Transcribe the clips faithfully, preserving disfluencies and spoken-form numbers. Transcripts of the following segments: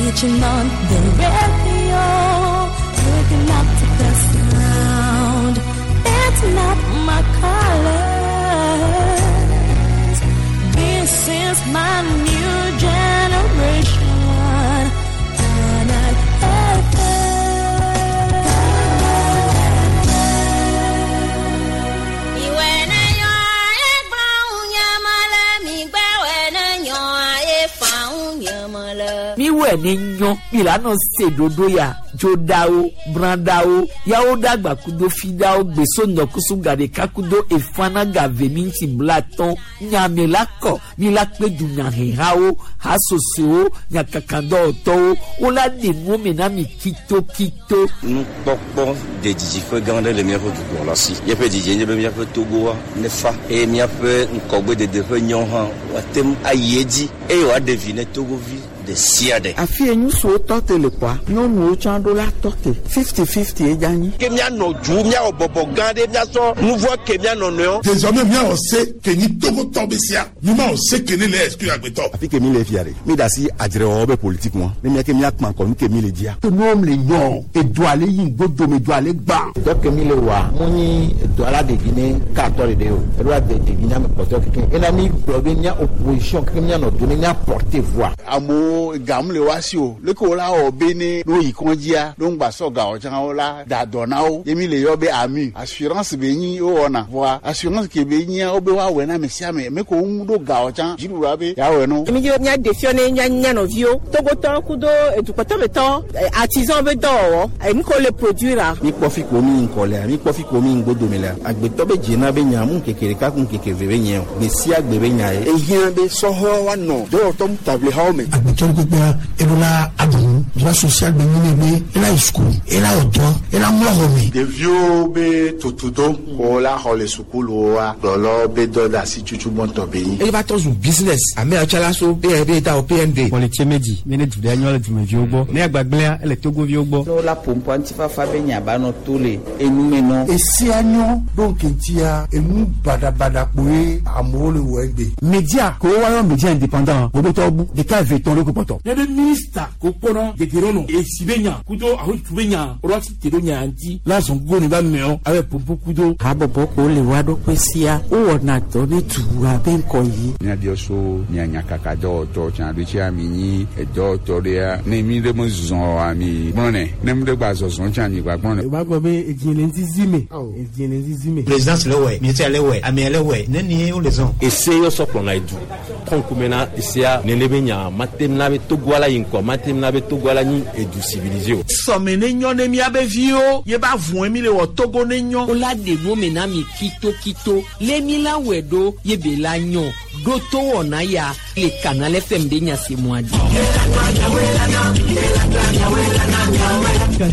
Switching on the radio, waking up to the sound. That's not my colors. This is my new generation. Canal Miwɛ ne nyɔ milano se dodo ya dzodawo bradawo yawo dagba kudo fidawo gbeso nɔkusu gaɖeka kudo efana gave mi ŋuti blatɔn nyame la kɔ mi la kpe dunyahehawo hasosowo nyakakadɔwɔtɔwo wola ɖe nuwo me na mi kitokito. Nukpɔkpɔ de didiƒe gã aɖe le míaƒe dukplɔla si. Míaƒe didie nye be míaƒe Togoa nefa eye míaƒe ŋgɔgbedede ƒe nyɔ hã woate ŋu ayi edzi eye wòaɖe vi ne Togovi ɖe sia ɖe. Afi ye ŋutsuwo tɔ te le kɔa, nyɔnuwo tsã ɖo la tɔ te fifty fifty ye dza nyi. Ke míanɔ du míawɔ bɔbɔ gã ɖe míasɔ nuvɔ ke míanɔ nɔewo. Désormais míawɔ se ke nyi Togotɔ be sia mi ma wɔ se ke ne le exclure agbetɔ. Afi ke mi le fia ɖe mi da asi adzrewɔwɔ be politique ŋua ne mía ke míakpã kɔ nu ke mi le dzia. Nuwo le nyɔ edu ale yi ŋgodome edu ale gbã. Dɔ ke mi le wa mu nyi edu ala ɖevi ne katɔ ɖeɖe o eɖo la de ɖevi ne ame kpɔtɔ keke ena mi gblɔ be mía opposition keke míanɔ do ne mía porter voix. Amewo gamu le wa si o leke wo la wɔ be ne no yi kɔndzia no ŋgbasɔ gawɔ tsã wo la da dɔ na wo ye mi le yɔ be ami assurance be nyi wo wɔna voa assurance ke be nyia wo be woawɔe na ame sia ame me ko ŋu ɖo gawɔ tsã dziɖuɖua be yeawɔe no. Mi dzi mía ɖe fiɔ ne mía mía nɔviwo Togotɔ kudo edukpɔtɔmetɔ artisan be dɔwɔwɔ enu ko le produire la. Mi kpɔ fi ko mi ŋkɔ lea mi kpɔ fi ko mi ŋgodome lea agbetɔ be dzena be nya mu ŋkeke ɖeka ku ŋkeke ve be nye o gbe sia gbe be nya ye. Ehiã be sɔhɔ woanɔ dɔwɔtɔ taʋlihawo me. Agbetɔ kpekpea eɖo la aɖu droit social be nyi ne be ela yi sukulu ela wɔ dɔ ela mlɔ xɔ me. Ɖeviwo be tutudo wo la xɔ le sukuluwoa kplɔlɔ be dɔ de asi tutu gbɔntɔ be nyi. Eye va tɔ zu business ame atsala so P N B ta o P N D. Wɔletsie medzi mi ne du ɖe nyɔ le dumeviwo gbɔ ne agbagblẽa ele Togoviwo gbɔ. Ne wola ƒoƒoa ŋutifafa be nya ba nɔ to le enume nɔ. Esia nyɔ ɖo ŋkeŋtia enu baɖabaɖa kpoe amewo le wɔ egbe. Media ko wayɔ media indépendant wobetɔ bu ɖeka eve tɔn ɖo ko kpɔtɔ. Ne be minista ko kpɔnɔ gegeɖo esi be nya kudo aho tu be nya o la si te ɖo nya ŋuti la zɔn go ne ba mɛɔ abe popo kudo. Habɔbɔ ko le wa ɖokui sia wowɔna dɔ ne dua be ŋkɔ yi. Míabiɔ so mía nyakaka dɔwɔtɔ tsã ɖo tsia mi nyi edɔwɔtɔ ɖea ne mi ɖe me zɔ ami gblɔnɛ ne mi ɖe gba zɔzɔ tsã mi gba gblɔnɛ. O b'a gbɔ be edzi le ŋuti me edzi le ŋuti me. Présidence le wɛ ministère le wɛ amea le wɛ ne ni wo le zɔn. Ese yɔ sɔ kplɔna edu kɔnkumena esea nene be nya matem na be Togo la yi ŋkɔ matem na be Togo la nyi edu civilisé o. Sɔme ne nyɔ ne miabe viwo ye ba vɔe mi le wɔ Togo ne nyɔ. Wola ɖe nuwo me na mi kitokito le mi la wɔe ɖo ye be la nyɔ ɖo to wɔna ya le Canal F M ɖe nyasemua dzi.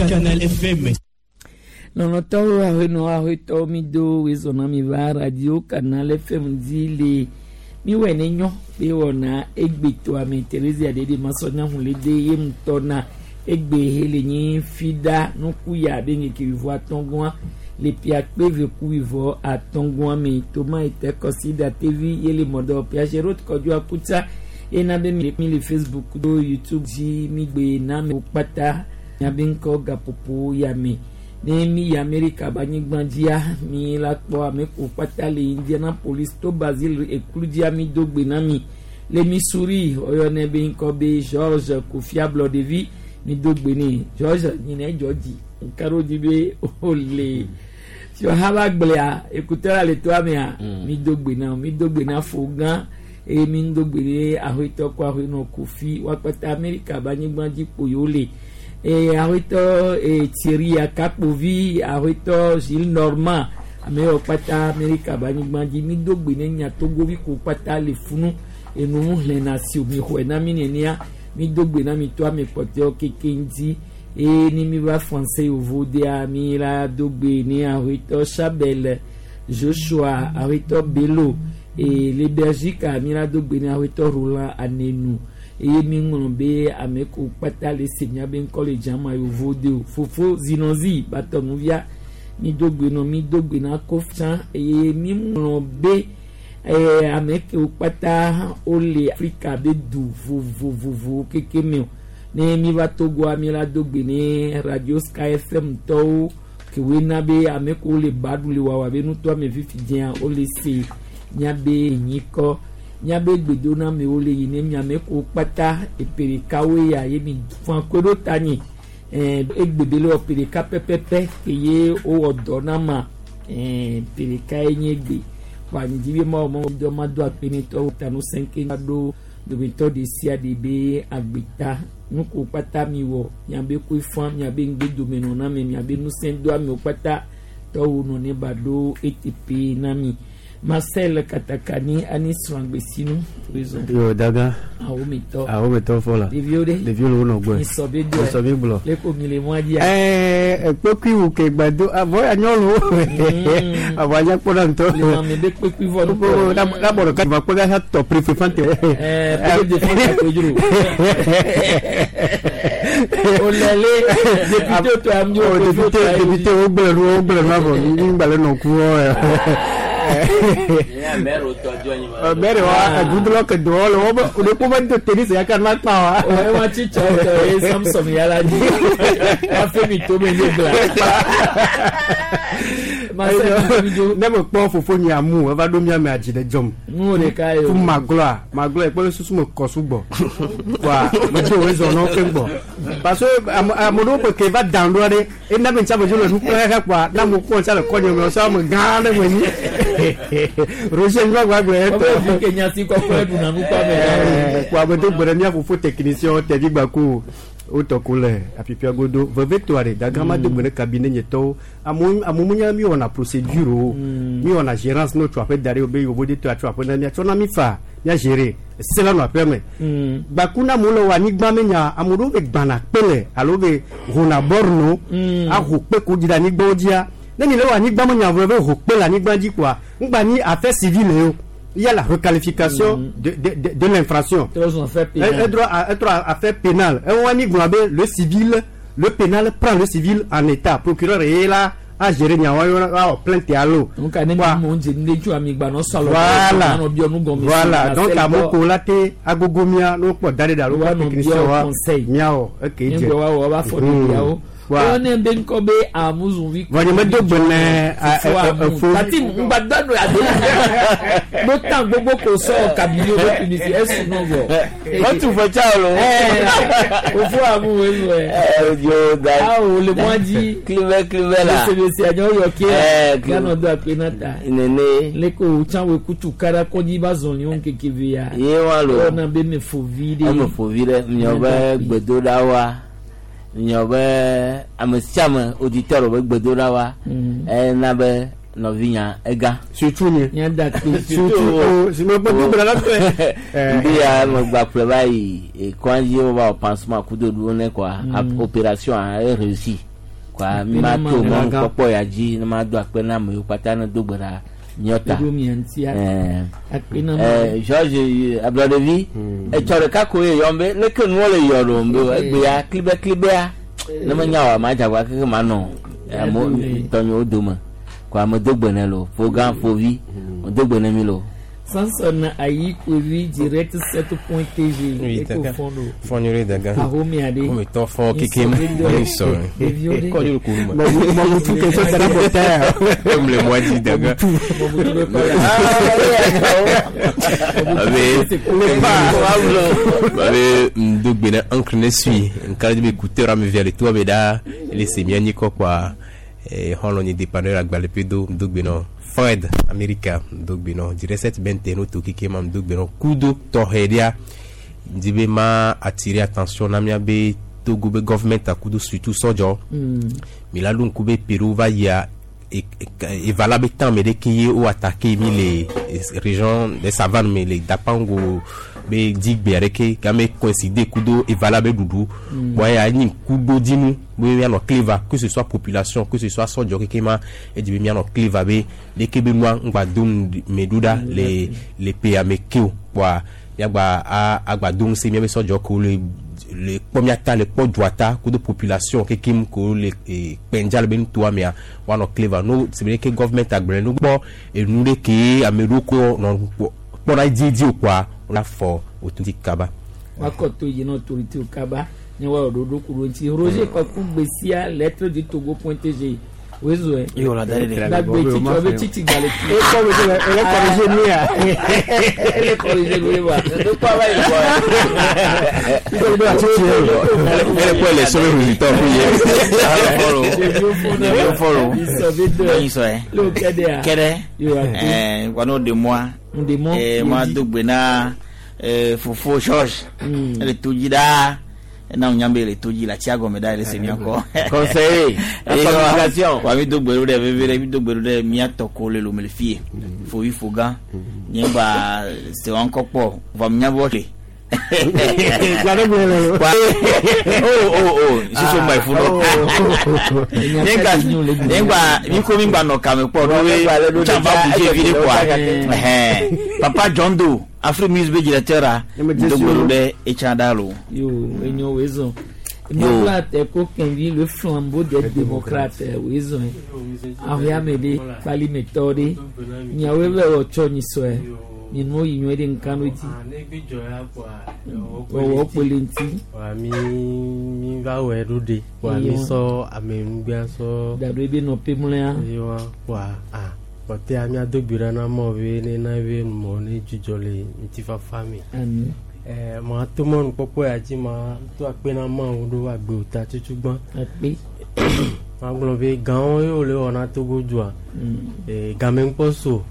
Canal F M. Lɔlɔtɔwo ahenɔ ahetɔwo mi do wezɔna mi va radio Canal F M dzi le miwɔe ne nyɔ be wɔna egbetoa me Thérésia ɖeɖe masɔnyahun le de ye ŋutɔ na egbe he le nyi fida nukuya be ŋkeke wivɔ atɔ̃gɔa le piakpe veku wivɔ atɔ̃gɔa me toma ete kɔsida tevi ye le mɔdɔ piagerot kɔdzo akutsa ena be mi le Facebook do YouTube dzi mi gbe na me kpata miabe ŋkɔ gaƒoƒo ya me. Ne mi yi Amerika be anyigba dzia mi la kpɔ ame ko kpata le Indianapolis to Basile eklu dzia mi do gbe na mi le Missouri oyɔnɛ be ŋkɔ be George Kofi Ablɔɖevi mi do gbe ne George nyinɛ dzɔ dzi nka ɖo dzi be ole fiɔha ba gblea ekuteur le toa mea mi do gbe na mi do gbe na fo gã eye mi do gbe ne ahoetɔ ko ahoenɔ Kofi woakpata Amerika be anyigba dzi kpo yewo le. E ahoetɔ e Thierry Akakpovi ahoetɔ Gilles Normand ame yiwo kpata Amerika be anyigba dzi mi do gbe ne nya Togovi ko kpata le funu enu hlẽna si mi xɔe na mi nenea mi do gbe na mi to ame kpɔtɔewo keke ŋuti eye ne mi va français yovo dea mi la do gbe ne ahoetɔ Chabel Joshua ahoetɔ Bello e le Belgique mi la do gbe ne ahoetɔ Roland Anenu eye mi ŋlɔ be ame ko kpata le se miabe ŋkɔ le dzama yovo de o fofo zinozi batɔnuvia mi do gbe nɔ mi do gbe na kofia eye mi ŋlɔ be eye ame kewo kpata wole Afrika be du vovovovo keke me o Ne mi va Togoa mi la do gbe ne Radio Sky F M tɔwo kewoe na be ame ko le ba ɖu le wawa be nutoa me fifi dzea wole se miabe nyikɔ miabe gbedonamewo le yi ne miame ko kpata epe ɖekawoe ya ye mi fã koe ɖo ta nyi ɛɛ egbe be le wɔ pe ɖeka pɛpɛpɛ ke ye wowɔ dɔ na ma ɛɛ pe ɖeka ye nye gbe kpa nyidi be ma wɔ mɔ dɔ ma do akpe ne tɔwo ta nu sɛnke ɖo dometɔ ɖe sia ɖe be agbeta nuko kpata mi wɔ miabe koe fã miabe ŋgbedomenɔ na me miabe ŋusẽ do amewo kpata tɔwo nɔ ne ba ɖo eteƒe na mi. Marcel Katakani ani srɔ̃gbesinu réseau. Yo daga. Awo mi tɔ. Awo mi tɔ fɔ la. Ɖeviwo ɖe. Ɖeviwo le wo nɔ gbɔe. Misɔ be do. Misɔ be gblɔ. Le ko mi le mɔa dzia. Ɛɛ ekpekui wu ke gbado avɔ ya nyɔnuwo. Avɔ anya kpɔ ɖa ŋutɔ. Le mame be kpekui vɔ ŋutɔ. Labɔ ɖeka va kpe ka tɔ prefe fante. Ɛɛ prefe de fante ko dzro. Olele député to am yo. Député député wo gblẽ nu wo gblẽ nu avɔ mi gbalẽ nɔ ku wɔ. Mɛri wa gudulɔ ke dɔwɔ le wo be o de ko bɛ tennis ya ka na kpa wa. O wa ti tsɔ tɔ ye Samson yala dzi wa fɛn mi to me ne gla. Ne me kpɔ fofo nye amu eva ɖo mía me adzi ɖe dzɔm. Nu ɖeka ye o. Fu maglɔa maglɔa ekpɔ susu me kɔ sugbɔ. Wa me tso wo zɔ nɔ keŋ gbɔ. Parce que ame ame ɖewo ƒe ke va dan ɖoa ɖe ena be ntsa me dzo le nu kplɔ xexe kpoa na mo kpɔ ntsa le kɔ nye me sɔ ame gã ɖe me nyi. Roger ŋgbagba gblɔ etɔ. Ɔbɛ fi ke nyati kɔkɔe ɖuna nukpa me. Kpoa ame do gbe ɖe mía fofo technicien tɛvi gbaku wotɔ ko le apipia godo vevetoa ɖe dagama do gbe ɖe cabinet nyetɔwo amewo amewo nya mi wɔna procédure o mi wɔna gérance ne wotso aƒe da ɖe wo be yewo de to atso aƒe na mia tsɔ na mi fa mia gérer se la nɔ aƒea me gbaku na amewo le wɔ anyigba me nya ame ɖewo be gbana kpe le alo be hona bɔrno aho kpe ko dzi ɖe anyigbawo dzia ne mi le wɔ anyigba me nya vɔ be ho kpe le anyigba dzi koa ŋgba nyi affaire civile o. Il y a la requalification mmh. de, de, de, de l'infraction. Un droit à, un droit à affaire pénale. Le civil, le pénal prend le civil en état. Procureur est là à gérer plainte à l'eau. Voilà. Voilà. Donc à Mokolate, à Gogomia, nous pouvons d'aller dans le technicien. Miao. Ok. Wọ́n bẹ nkọ́ bẹ amúzùnví. Wọ́n yẹn mẹ́tò gbẹ̀nẹ̀ ẹ̀fọ́. Tati ngbàdánù àdé. Mo tàn gbogbo kò sọ kàbíyé owó tùnìsì ẹ̀sùn náà bọ̀. Wọ́n tún fọ cháwó lọ. Òfò àmúwé nù ẹ̀. Ẹ yóò da. A ò lè mọ́ jí. Kílíbẹ̀ kílíbẹ̀ la. Lẹ́sẹ̀lẹ́sẹ̀ àjọ yọ kí ẹ. Gánà dọ́ àpé náà ta. Nene. Lẹ́kọ̀ọ́ cháwé kutu kára kọ́jí bá zọ̀ ní òun kékeré ya. Yé wa lò. Ọ̀nà bẹ́ẹ̀ mi fò vi de. Ẹ mi fò vi dẹ, miɔ bɛ gbedoɖa wa. Nyɔ be ame sia ame auditeur be gbedoɖa wa ena be nɔvinya ega. Surtout nye. Nya da kpe. Surtout o si me gbɔdɔ gblɔ la tɔe. Nbi ya me gba kplɔ va yi ekɔndzi wo va wɔ pansement kudo ɖuwo ne kɔa opération a e réussi kɔa mi ma to mɔnu kpɔkpɔ ya dzi ne ma do akpe na amewo kpata ne do gbe ɖa nyɔta. Ɛɛ George ablɔɖevi etsɔ ɖeka ko ye yɔm be leke nuwo le yɔ ɖom be egbea klibɛ klibɛa ne menya o ama dzagba keke ma nɔ amewo tɔnyewo dome ko ame do gbe ne lo fo gã fo vi do gbe ne mi lo. Samson ayi kovi direct sept point T G. Oui, d'accord. Fɔnyore daga. Ahomi ade. Komi tɔ fɔ keke mu. Sɔrɔ. Kɔnyore ko ma. Mɔmutu question sera pour terre. Comme le mois dit daga. Abe. Abe ndogbe na encre ne sui. Nkari be écouteur ame via le to abe da. Ele se miani kɔ quoi. Eh hɔlɔn ni dépanneur agbale pedo ndogbe na. Fred America ndogbeno direct sept bente no to kike ma ndogbeno kudo tohedia ndibe ma attirer attention na mia be Togo be government akudo surtout sojo mi la lu nkube Peru va ya et valable temps mais dès qu'il ou attaquer mi les régions des savanes mais les Dapango be digbe areke game coïncider kudo et valable doudou boya ni kudo dinu be mi no cleva que ce soit population que ce soit sojo kekema et di mi no cleva be de kebe moi ngba dum meduda les les pays amekeo wa ya gba agba dum se mi be sojo ko le le premiata le podroita ko de population kekim ko le penjal ben toi mia wa no cleva no c'est vrai que government agbre no bo e nu de ke ameru ko no pona di di quoi on a fort autorité kaba wa koto yina autorité kaba Ne wa ɖoɖo ku ɖo ŋuti. Roger Kɔku Gbesia lettre du Togo point T G. Wezoe. Yo la dare de. Dagbe tsitsi ɔbe tsitsi gbalẽ tu. E kɔ be ele corriger nu ya. Ele corriger nu wa. Ele kɔ le sɔbɛ résultat fún ye. Ɖeviwo fɔlɔ. Lóyin sɔ yɛ. Ló kɛdɛ a. Kɛdɛ. Ɛɛ wano de moi. De moi. Ɛɛ ma do gbe na ɛɛ fofo George. Ele to dzi ɖaa. Na nya be le to dzi le atsia gɔme ɖa ele se mia kɔ. Conseiller, la communication. Wa mi do gbe ɖo ɖe veve ɖe mi do gbe ɖo ɖe mia tɔ ko le lome le fie. Fovi fogã. Nye gba se wa ŋkɔ kpɔ vɔ mi nya bɔ le. Oh oh oh soso ma ifu nɔ. Nye gba nye gba mi ko mi gba nɔ kame kpɔ ɖo we tsamba budze vi ɖe kɔa. Ɛhɛn Papa John Doe Afri Music be directeur a do gbe ɖo ɖe etsa ɖa lo. Yo enyo wezo. Mabla te ko kenvi le flambeau des démocrates wezo. Ahia mede kpali metɔ ɖe. Nyawoe bɛ wɔ tsɔ nyisɔe. Nyinu yi nyuie ɖe ŋka ɖo dzi. Wɔwɔ kpele ŋuti. Wa mi mi va wɔ ɖo ɖe. Wa mi sɔ amenugbea sɔ. Daɖo ebe nɔ pemlea. Wa wa a kpɔtɛa miado gbe ɖa na mɔ be ne na be mɔ ne dzudzɔ le ŋutifafa me. Ami. Ɛɛ ma to mɔnukpɔkpɔ ya dzi ma to akpe na Mawu ɖo agbewo ta tutugbã. Akpe. Ma gblɔ be gãwo ye wòle wɔ na Togo dua. Ee game ŋkpɔ so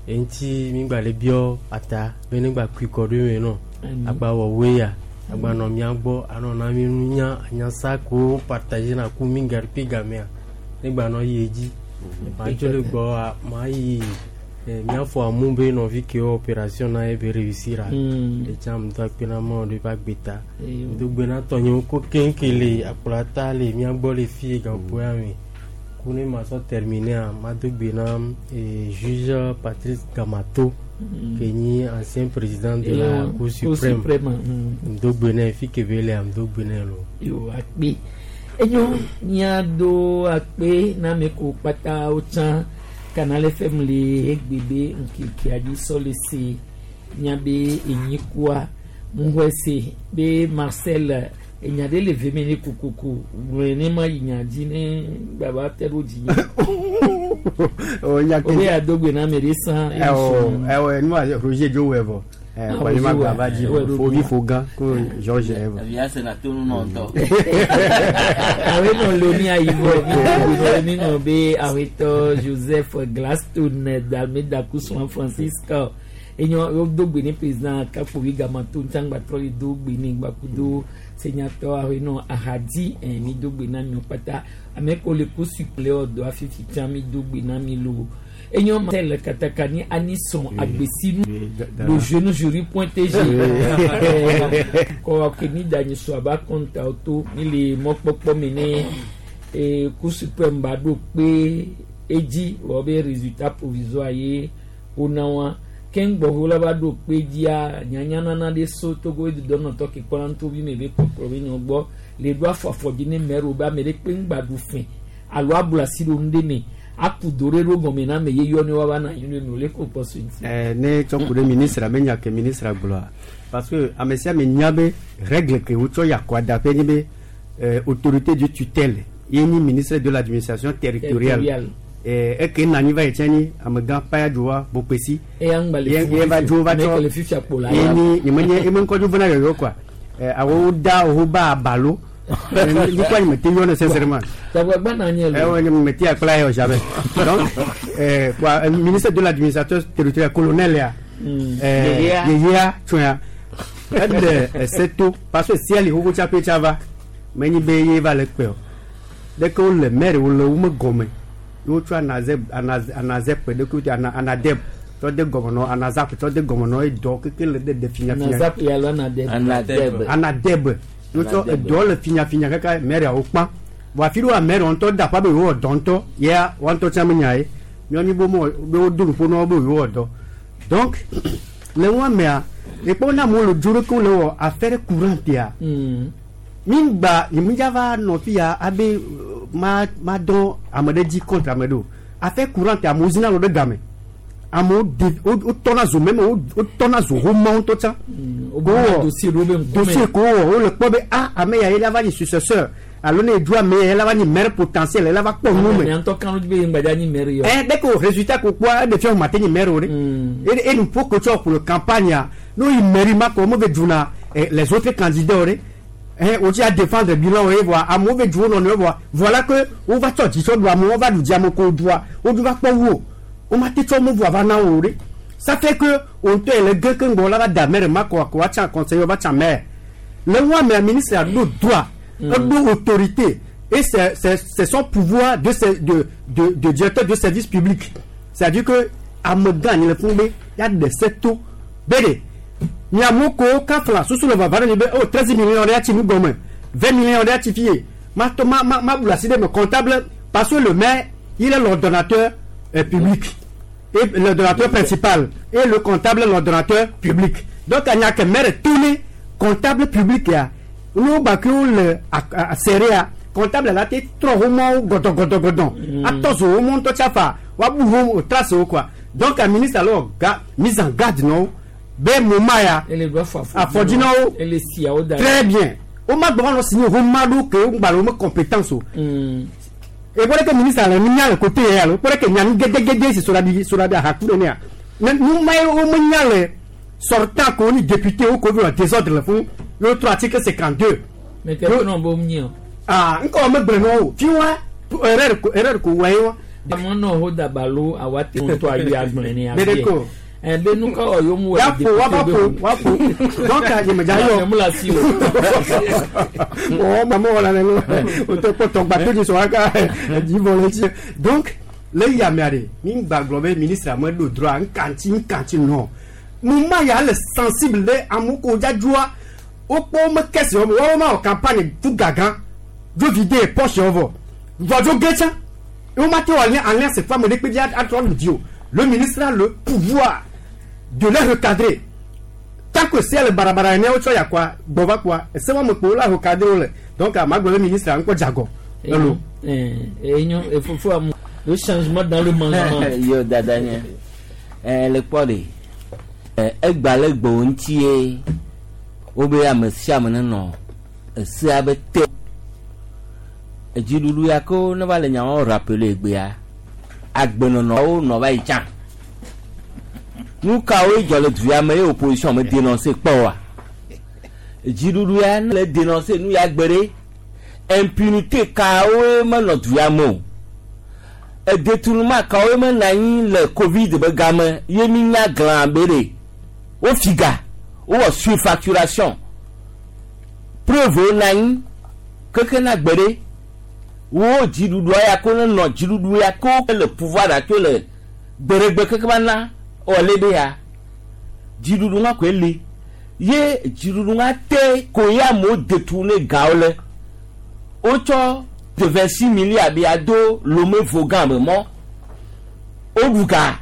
eŋuti mi gba le biɔ ata be ne gba kui kɔ ɖo eme nɔ. Agba wɔ woe ya agba nɔ mía gbɔ anɔ na mi nunya anyasa ko partage na ku mi gari pe gamea ne gba nɔ yi edzi. Ma dzo le gbɔ ma yi míafɔ amu be nɔvi kewo opération na ye be réussir a etsa mu do akpe na Mawu ɖo eƒe agbe ta do gbe na tɔnyewo ko keŋke le akplɔta le mía gbɔ le fie gaƒoƒo ya me ku ne ma sɔ terminer ma do gbe na juge Patrice Gamato ke nyi ancien président de la Cour suprême do gbe nɛ fi ke be lea do gbe nɛ lo. Yo akpe enyo míado akpe na ame ko kpata wotsã Canal F M le egbebe ŋkekea dzi sɔ le se miabe enyikua ŋuxɔe se be Marcel enya ɖe le veme ne kokoko gblɔe ne ma yi nya dzi ne gbaba te ɖo dzi nye. O be ado gbe na ame ɖe sã. Ɛwɔ ɛwɔ nua Roger dzo wɛ vɔ. Kɔni ma gba va dzi fovi fogã ko George ɛvɔ. Evia se na tonu nɔ ŋutɔ. Awe nɔ lomi ayibɔ mi nɔ be awetɔ Joseph Gladstone d'Almeida Kusuan Francisco enyo yo do gbe ne président Kafovi Gamato ŋtsangba trɔ le do gbe ne gbakudo senyatɔ awe nɔ ahadi ɛ mi do gbe na mi kpata ame ko le ko suple ɔdɔ afifi tsã mi do gbe na mi lo enyo Marcel Katakani Anisson Agbesinu le jeune jury point T G kɔ ke mi da nyiso aba kɔnta to mi le mɔkpɔkpɔ mi ne ee Cour suprême ba ɖo kpe edzi wɔ be résultat provisoire ye wona wa keŋgbɔho la va ɖo kpe dzia nyanyanana ɖe so Togo edudɔnɔtɔ ke kpɔna ŋutovi me be kpɔkplɔ be nyɔ gbɔ le ɖo afɔ afɔ dzi ne mɛro be ame ɖe kpe ŋgba ɖu fɛ alo ablu asi ɖo nu ɖe me aku do ɖe ɖo gɔme na ame ye yɔ ne woava na anyi ɖe me wòle ko kpɔ so ŋuti. Ɛɛ ne tsɔ ku ɖe ministre me nya ke ministre gblɔa parce que ame sia ame nya be règle ke wotsɔ yi akɔadaƒe nye be euh, autorité de tutelle ye nyi ministre de l'Administration territoriale. Territoriale. Ɛɛ eke na anyi va yi tsɛ nyi amegã Payadowa Bopesi. Eya ŋgba le ye ye va dzo va ame tsɔ ke le fifia kpo la ye ni nye menye ye me ŋkɔ dzo vena yɔyɔ quoi ɛɛ awo da wo ba abalo nukua nye me te yɔ ne sincèrement. Tagbagba na nye Eh lo. ouais, me ti akpla yɔ jamais. Donc euh, quoi, euh, ministre de l'Administration territoriale colonel ya. Euh, Yeyea. Yeyea tsoya. Eɖe ese to parce que sia li xoxo tsaƒe tsa va. Menyi be ye va le kpe o. Ɖeke wole maire wole wo me gɔme. Ye wotsɔ anaze anaze anazep ɖeke wotsɔ ana anadeb tsɔ de gɔme nɔ anazap tsɔ de gɔme nɔ edɔ keke le ɖe ɖe finyafinya. Anazap ya alo anadeb. Anadeb. Anadeb. Ye wotsɔ Anadeb. edɔ le finyafinya kaka maire wo kpã. Vɔ afi ɖewoa maire ŋutɔ da ƒa be yewɔ dɔ ŋutɔ yea woa ŋutɔ tsã menya ye. Míawo mi be womewɔ be wodo nuƒo na wo be yewɔ dɔ. Donc le ŋua mea ekpɔ na amewo le dzo ɖeke wole wɔ affaire courante ya. Mi gba nye mi dza va nɔ fi ya abe euh, ma ma dɔn ame ɖe dzi contre ame ɖe o. Affaire courante amewo zina lo ɖe game. Amewo de wotɔna zo meme wotɔna zo xomɔ ŋutɔ tsã. Dossier ko wɔ wole kpɔ be ah ame ya ye la va nyi successeur alo ne edu ame ya la va nyi maire potentiel la va kpɔ nu me. Ɛ dès que o résultat ko kpɔa eɖe fia o ma te nyi maire o de. Et nous faut que tu pour le campagne no yi mairie ma ko mo ve duna les autres candidats o de. Eh o ti a défendre bilan o ye voa amewo ve du wo nɔnɔewo voa voilà que wo va tsɔ dzitsɔ ɖu amewo va ɖu dzi ame ko ɖua wo du va kpɔ wo. On m'a dit que vous avez un Ça fait que on te le gars que on va da maire ma quoi quoi tient conseiller va tient maire. Le roi mais ministre a le droit, a autorité et c'est c'est c'est son pouvoir de de de de directeur de service public. C'est-à-dire que à me gagne le fondé, il y a des sept taux. Bédé. Ni amoko kafla sous le va va oh treize millions de ati nous gomme. vingt millions de ati fié. Ma ma ma ma me comptable parce que le maire, il est l'ordonnateur public. Et l'ordonnateur principal et le comptable l'ordonnateur public. Donc il y a que maire tourné comptable public ya. Nous bakou le à serré comptable là t'es trop roman godon godon godon. Attends au monde tout ça fa wa bou trace quoi. Donc un ministre alors mise en garde non. Ben moment ya. A fodino. Très bien. O ma doit signer romado que on ba le compétence. Et voilà que le ministre a mis le côté, voilà que nous avons sur la sur la nous avons sortant qu'on est député au Covid en désordre le fond, l'autre article cinquante-deux. Mais t'es pas non bon mien. Ah, encore me breno, tu vois, erreur erreur ko ouais. Mon non ho dabalo awate on toi lui agblene ya. Eh ben nous ka oyo mu wa wa wa donc je me dirais mu la si oh maman on la o te ko ton bateau du soir ka di volontiers donc le ya mare mi gba globe ministre mo le droit nkanti nkanti non mo ma ya le sensible le amuko jajua o po me kesi o wo ma campagne tout gagan do vider poche ovo vojo gecha o ma te wa lien en lien cette femme de pédia à trois dio. Le ministre a le pouvoir de les recadrer. Tant que c'est le barabara, il y a quoi, bova quoi, c'est moi qui la recadrer. Donc, à ma le ministre a encore jago. Et il faut le changement dans le management. Yo dadanya. Eh le podi. Eh egbale gbo ntie. Obe amesia me no. Ese abete. Ejilulu ya ko ne va le nyawo rappeler egbe ya. Agbenɔnɔwo nɔ va yi tsã nu kawoe dzɔ le du ya me ye opposition me dénoncer kpɔ wa dziɖuɖu ya le dénoncer nu ya gbe ɖe impunité kawoe menɔ du ya me o edétournement kawoe menɔ anyi le covid be game ye mi nya glã be ɖe wofi ga wowɔ surfacturation preuve wo nɔ anyi keke na gbe ɖe. Wo dziɖuɖua ya ko ne nɔ dziɖuɖu ya ko le pouvoir la to le gbeɖegbe keke va na ɔle be ya dziɖuɖu ŋa koe li ye dziɖuɖu ŋa te ko ye amewo détourné gawo le wotsɔ de vingt-six milliards be ya do Lomé Vogan be mɔ woɖu ga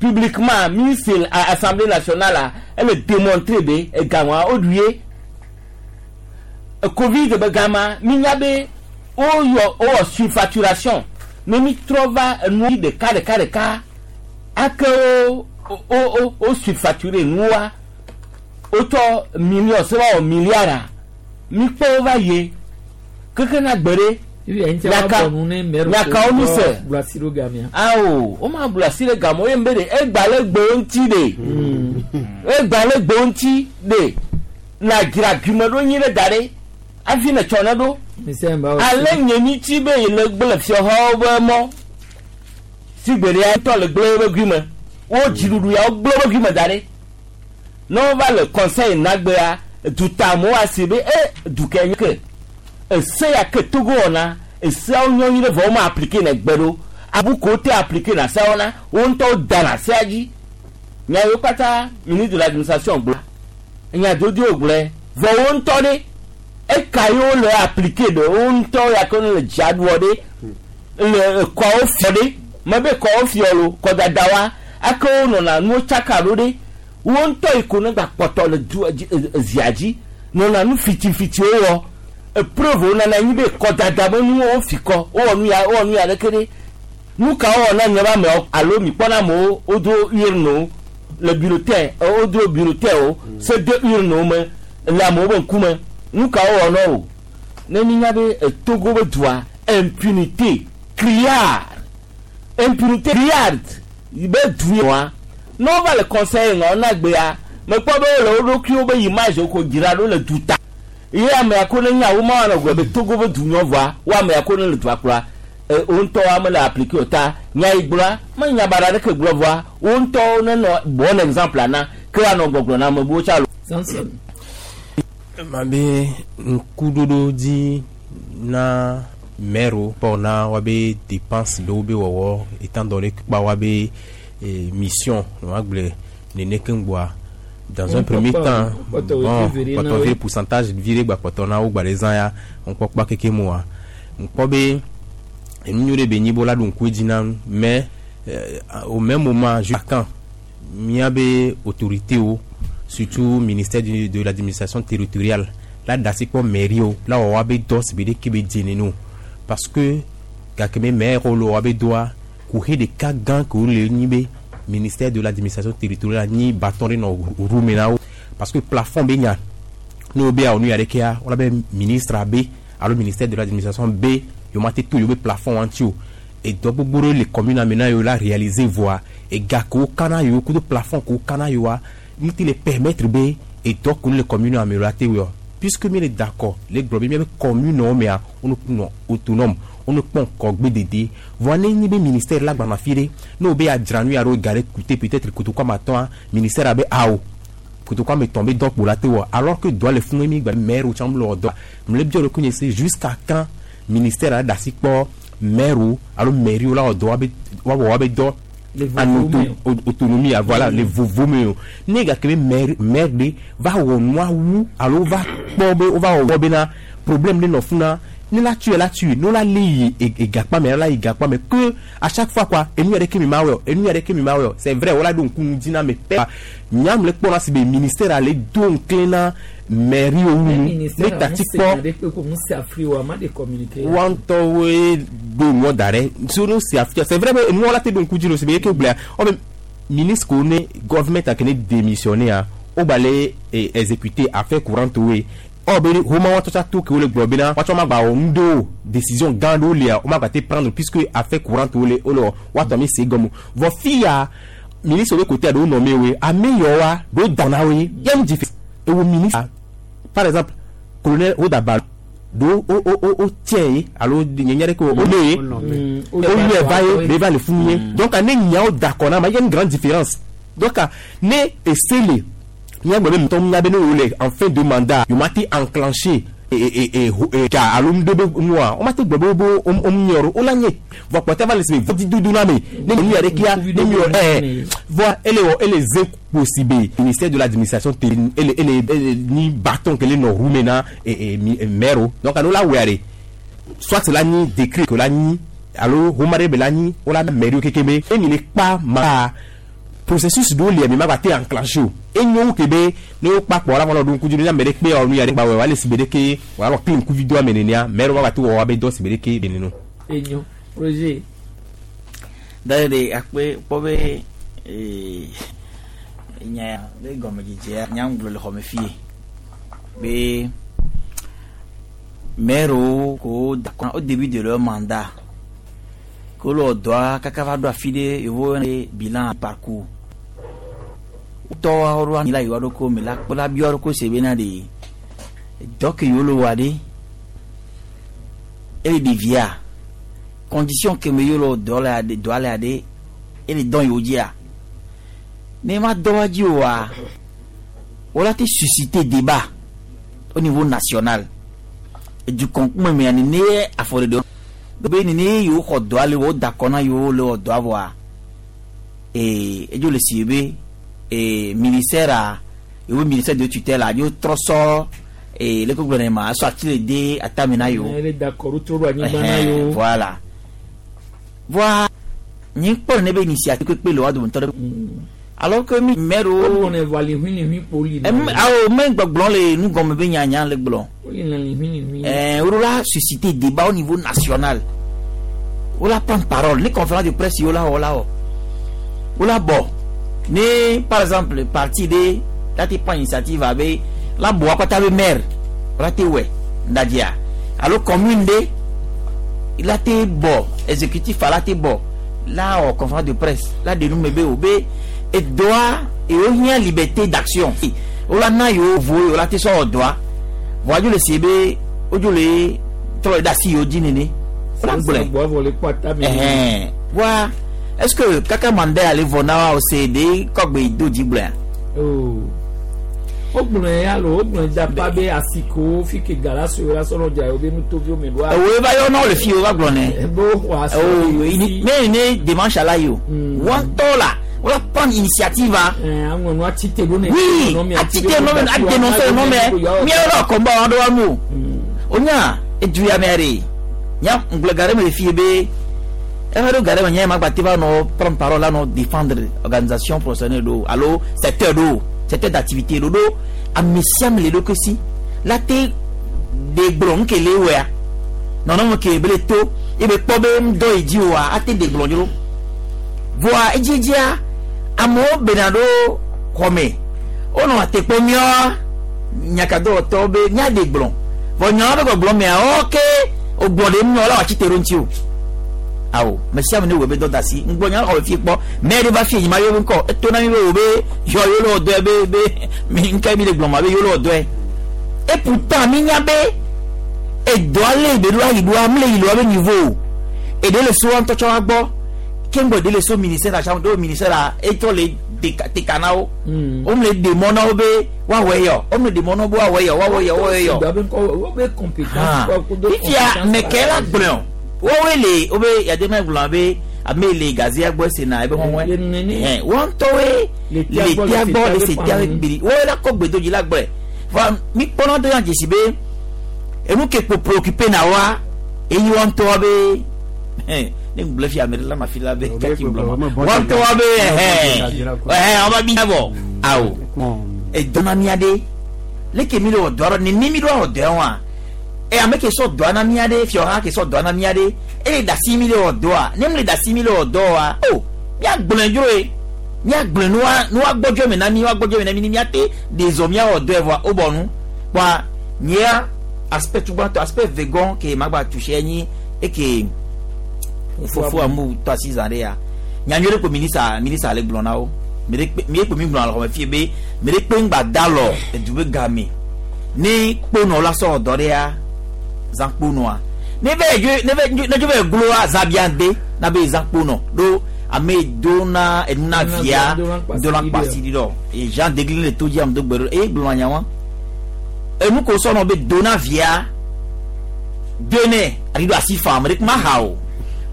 publiquement ministre à Assemblée nationale la ele démontré be ega ŋua woɖu ye Covid be gama mi nya be o yɔ o wɔ surfacturation ne mi trɔ va enu ɖeka ɖeka ɖeka ake o o o o surfacturé nua o tɔ million se wa wɔ milliard a mi kpɔ wo va ye keke na gbe ɖe yaka yaka wo mi se awo o ma blu asi ɖe game o ye n be de egba le gbewo ŋuti de egba le gbewo ŋuti de na dzra gume ɖo nyi ɖe da ɖe afi ne tsɔ ne ɖo. Ale nye mi tsi be le gblẽ fiɔhawo be mɔ si gbe ɖe tɔ le gblẽ wobe gui me wo dziɖuɖu ya wo gblẽ wobe gui me da ɖe ne wova le conseil nagbea dutamewo asi be e duke nye ke ese ya ke Togo wɔna eseawo nyɔ nyui ɖe vɔ wo ma appliquer ne gbe ɖo abu ko te appliquer na seawo na wo ŋutɔwo da na sea dzi nya yiwo katã ministre de l'administration gblɔ nya dodowo gblɔe vɔ wo ŋutɔ ɖe eka yiwo le appliquer ɖe wo ŋutɔ ya ke le dziaɖuɔ ɖe le kɔwo fiɔ ɖe mebe kɔwo fiɔ lo kɔdada wa ake wo nɔna nuwo tsaka ɖo ɖe wo ŋutɔ yi ko ne gba kpɔtɔ le du zia dzi nɔna nu fitifitiwo wɔ epreuve wo nana anyi be kɔdada be nuwo wo fi kɔ wowɔ nu ya wowɔ nu ya ɖeke ɖe Nu ka wɔ na nye ba amewo alo mi kpɔna amewo wodo urne le bulletin wodo bulletin o se de urne me le amewo be ŋkume nu ka wɔ na o ne mi nya be Togo be dua impunité criard impunité criard be du wa ne wova le conseil ŋɔ na gbea mekpɔ be wole wo ɖokuiwo be image ko dzra ɖo le duta ye ame ko ne nya wo ma wɔna gblɔ be Togo be du nyɔvɔa wo ame ko ne le dua kplɔa wo ŋutɔ ame le appliqué o ta nya yi gblɔa me nya baɖa ɖeke gblɔ vɔa wo ŋutɔ ne nɔ bon exemple na ke woanɔ gbɔgblɔ na ame buwo tsa lo. Mabe ŋkuɖoɖo dzi na maire pɔ na woabe dépense ɖewo be wɔwɔ étant donné kpa woabe mission woagblɔe nene keŋ gbɔa dans un premier temps bon kpɔtɔ vi pourcentage vi ɖe gba kpɔtɔ na wo gba ɖe zã ya ŋkpɔkpɔ keke moa ŋkpɔ be enu nyuie ɖe be nyi bo la ɖo ŋku edzi na nu mais au même moment jusqu'à quand miabe autorité wo surtout ministère du, de l'administration territoriale la dasi kpɔ mairie wo la wɔ woabe dɔ si be ɖeke be dze nene o parce que gake me maire wo le woabe dɔa kuxi ɖeka gã ke wo le nyi be ministère de l'administration territoriale nyi bâton ɖe nɔ ru me na wo parce que plafond be nya ne wo be awɔ nu ya ɖekea wala be ministre be alo ministère de l'administration be yewo ma te to yewo be plafond wa ŋuti o edɔ gbogbo ɖe le commune me na yewo la réaliser voa ega ke wo kana yewo kudo plafond ke wo kana yewoa nu ti le permettre be edɔ ke le commune me la te wɔ puisque mi le d'accord le gblɔ be miabe commune wo mea wo nɔ autonome wo ne kpɔ ŋkɔgbe dede voa ne nyi be ministère la gbana fi ɖe ne wo be adzra nu ya ɖo ga ɖe coûter peut-être kotoku ame atɔ̃a ministère abe awo kotoku ame etɔ̃ be dɔ kpo la te wɔ alors que dɔa le funu mi gba maire wo tsã le wɔ dɔ mle biɔ ɖokui nye se jusqu'à quand ministère la da asi kpɔ maire wo alo mairie wo la wɔ dɔ woabe woawɔ woabe dɔ en auto autonomie voilà le vovo me o ne gake be maire maire ɖe va wɔ nua wu alo va kpɔ be wova wɔ bena problème ɖe nɔ funa ne la tue la tue ne la le yi egakpa me la yi gakpa me que à chaque fois quoi enu yɛrɛ ke mi ma wɔ enu yɛrɛ ke mi ma wɔ c'est vrai wala do ŋku ŋdi na me pɛ nyam le kpɔna si be ministère ale do ŋkle na mairie wo nu ne tati kpɔ wa ŋutɔwoe do nuɔ da ɖe so no si afia c'est vrai be enuɔ la te do ŋku dzi lo si be eke gblɔa ɔbe ministre ko ne gouvernement a ke ne démissionné a wo gba le exécuter affaire courante woe ɔ be homa wa tsɔtsa to ke wo le gblɔ bena woatsɔ ma gba wɔ nu ɖewo décision gã ɖewo lia wo ma gba te prendre puisque affaire courante wo le wo le wɔ woatɔ mi se gɔme vɔ fi ya ministre be côté ɖewo nɔ me woe ame yawoa ɖewo dana woe yɛm dzi ewo ministre par exemple colonel Hodaba ɖewo wo wo wo wo tiɛ ye alo nye nya ɖe ke wo ne ye wo yɛ va ye be va le funu ye donc ne nyawo da kɔ na ma y a une grande différence donc ne ese le miagbɔ be mutɔ nya be ne wo le en fin de mandat yo ma te enclencher ga alo nu ɖe be nua wo ma te gblɔ be wo wo miɔ wo la nye vɔ kpɔtɛ va le si be vɔdi dudu na me ne nu ya ɖe kia ne miɔ ɛɛ vɔ ele wɔ ele ze kposi be ministère de l'administration te ele ele ele ni bâton ke le nɔ ru me na ee maire o donc alo la wɛ de soit la nyi décret ke la nyi alo homa ɖe be la nyi wo la maire wo keke be emi le kpa ma processus ɖewo lia mi ma gba te enclenché o enyo wu ke be ne wo kpa kpɔ la fɔlɔ ɖo ŋku dzi ne ame ɖe kpe wɔ nu ya ɖe gba wɔ wale si be ɖeke wòalɔ kli ŋkuvi do ame nenea maire wa gba te wɔ woabe dɔ si be ɖeke be neno. Enyo Roger. Dade akpe kpɔ be ee nya le gɔmedzedzea nya ŋgblɔ le xɔme fie be maire ko da au début de leur mandat ko le dɔa kaka va ɖo afi ɖe yewo bilan parcours tɔwa ɖo anyi la yewoa ɖo ko me la kpɔ la biɔ ɖo ko se bena de dɔ ke yewo le wɔa ɖe ele ɖevia condition ke me yewo le dɔ le aɖe dɔa le aɖe ele dɔn yewo dzia ne ma dɔ wa dzi oa wola te susciter débat au niveau national edukɔnkume mea nene afɔɖeɖe be nene yewo xɔ dɔa le wo da kɔ na yewo le wɔ dɔa vɔa ee edzo le si be ee ministère a yewo ministère de tutelle a yewo trɔ sɔ ee leke gblɔ ne ma sɔ ati le de atame na yewo. ele d'accord trɔ ɖo anyigba na yewo. Voilà voa nye kpɔ ne be initiative kpekpe le wa dometɔ ɖe alors que mi maire wo. O ne va li hui li hui kpoli. Ɛm awo me gbɔgblɔ le nu gɔme be nyanya le gblɔ. O li li hui li hui. Ɛɛ o la susciter débat au niveau national. wola prendre parole ne conférence de presse yi wola wɔ la wɔ wola bɔ ne par exemple parti de la te prend initiative abe la bɔ akpata be maire wola te wɛ ndadzia alo commune de la te bɔ exécutif la te bɔ la wɔ conférence de presse la de nu me be o be edoa ewo hiã liberté d'action wola na yewo vo wola te sɔ wɔ dɔa voa dzo le si be wodzo le trɔ le ɖe asi yewo dzi nene wola gblɔe Bɔ vɔ le kpɔ ata mi. ɛhɛn voa est ce que kaka mandat ale vɔ na wa o se de kɔgbe do dzi gblɔea. Oh. Wogblɔe ya lo wogblɔe dapa be asiko fi ke gala so la sɔrɔ dza yewo be nutoviwo me ɖoa. Ewoe va yɔ na wo le fi wo va gblɔ nɛ. Ebe woxɔ asi. Oh, ini- ne ne dimanche ala yi o wɔntɔ la wala prendre initiative a. Aŋɔ nu atite ɖo ne. Oui, atite nɔ mɛ a dénoncer nɔ mɛ miawo la combat wa ɖo wa nu o. O nya edu ya mɛ de nya ŋgblẽ ga ɖe me le fi be eƒe ɖo ga ɖe me nya ma gba te va nɔ prendre parole la nɔ défendre organisation professionnelle ɖo alo secteur ɖo secteur d'activité ɖo ɖo ame sia ame le ɖokui si la te de gblɔ nu ke le wɔa nɔnɔme ke be le to ebe kpɔ be ŋdɔ yi dzi oa ate de gblɔ dzro voa edziedzia amewo bena ɖo xɔme wonɔ ate kpɔ míawoa nyakadɔwɔtɔwo be míaɖe gblɔ vɔ nyawo be gbɔgblɔ mea wo ke wogblɔ ɖe míawo la wòatsi te ɖo ŋuti o awo me sia ame ne wɔ be dɔ da asi ŋgbɔ nyawo xɔ fi kpɔ mɛ ɖe va fi nyima yewo ŋkɔ eto na mi be wo be yɔ yewo le wɔ dɔe be be mi ŋka mi le gblɔ ma be yewo le wɔ dɔe et pourtant mi nya be edɔa le be ɖo ayi ɖoa mi le yi ɖoa be niveau o eɖe le so ŋutɔ tsɔ wa gbɔ ke ŋgbɔ ɖe le so ministère la tsã ɖo ministère la etɔ le deka teka na wo wo le ɖe mɔ na wo be woawɔ yɔ wo le ɖe mɔ na wo be woawɔ yɔ woawɔ yɔ woawɔ yɔ Dɔ be ŋkɔ wo be compétence. Ah. Fifia mɛkɛ la gblɔ wowoe le wobe yadema gblɔ be ame le gazia gbɔ sena ebe hɔnwɛ ɛ wɔn ŋutɔwoe le tia gbɔ le se tia gbiri wowoe la kɔ gbedodzi la gblɔe va mi kpɔnɔ do yan dzesi be enu ke kpo préoccupé na wa eyi wɔn ŋutɔ be ɛ ne gblɔ fi ame ɖe la ma fi la be kaki gblɔ ma wɔn ŋutɔ be ɛhɛ ɛhɛ wɔn ba bi bɔ awo edɔna mia ɖe leke mi le wɔ dɔ ɖe nene mi ɖo wɔ dɔ wa e ame ke sɔ dɔa na mia ɖe fiɔha ke sɔ dɔa na mia ɖe eye dasi mi le wɔ dɔa ne mi le dasi mi le wɔ dɔ wa o mia gblɔe dzro ye mia gblɔe nua nua gbɔdzɔ me na mi nua gbɔdzɔ me na mi ni mia te de zɔ mia wɔ dɔe vɔa o bɔ nu kpɔa nyea aspect gbãtɔ aspect vegan ke ma gba touché nyi eke fofo amu tɔ asi zã ɖe ya nyanyui ɖe ko minisa minisa le gblɔ na wo mi ɖe kpe mi kpe mi gblɔ le xɔme fie be mi ɖe kpe ŋgba da lɔ edu be game ne kponɔ la sɔ dɔ ɖe ya zã kponɔa ne ve dzo ne ve ne dzo ve gloa zã bia de na be zã kponɔ ɖo ame do na enu na via do na kpasi ɖi dɔ e Jean Degli le to dzi ame do gbe ɖo eye gblɔ nya wa enu ko sɔnɔ be do na via do ne aɖi ɖo asi fa ame ɖe kuma ha o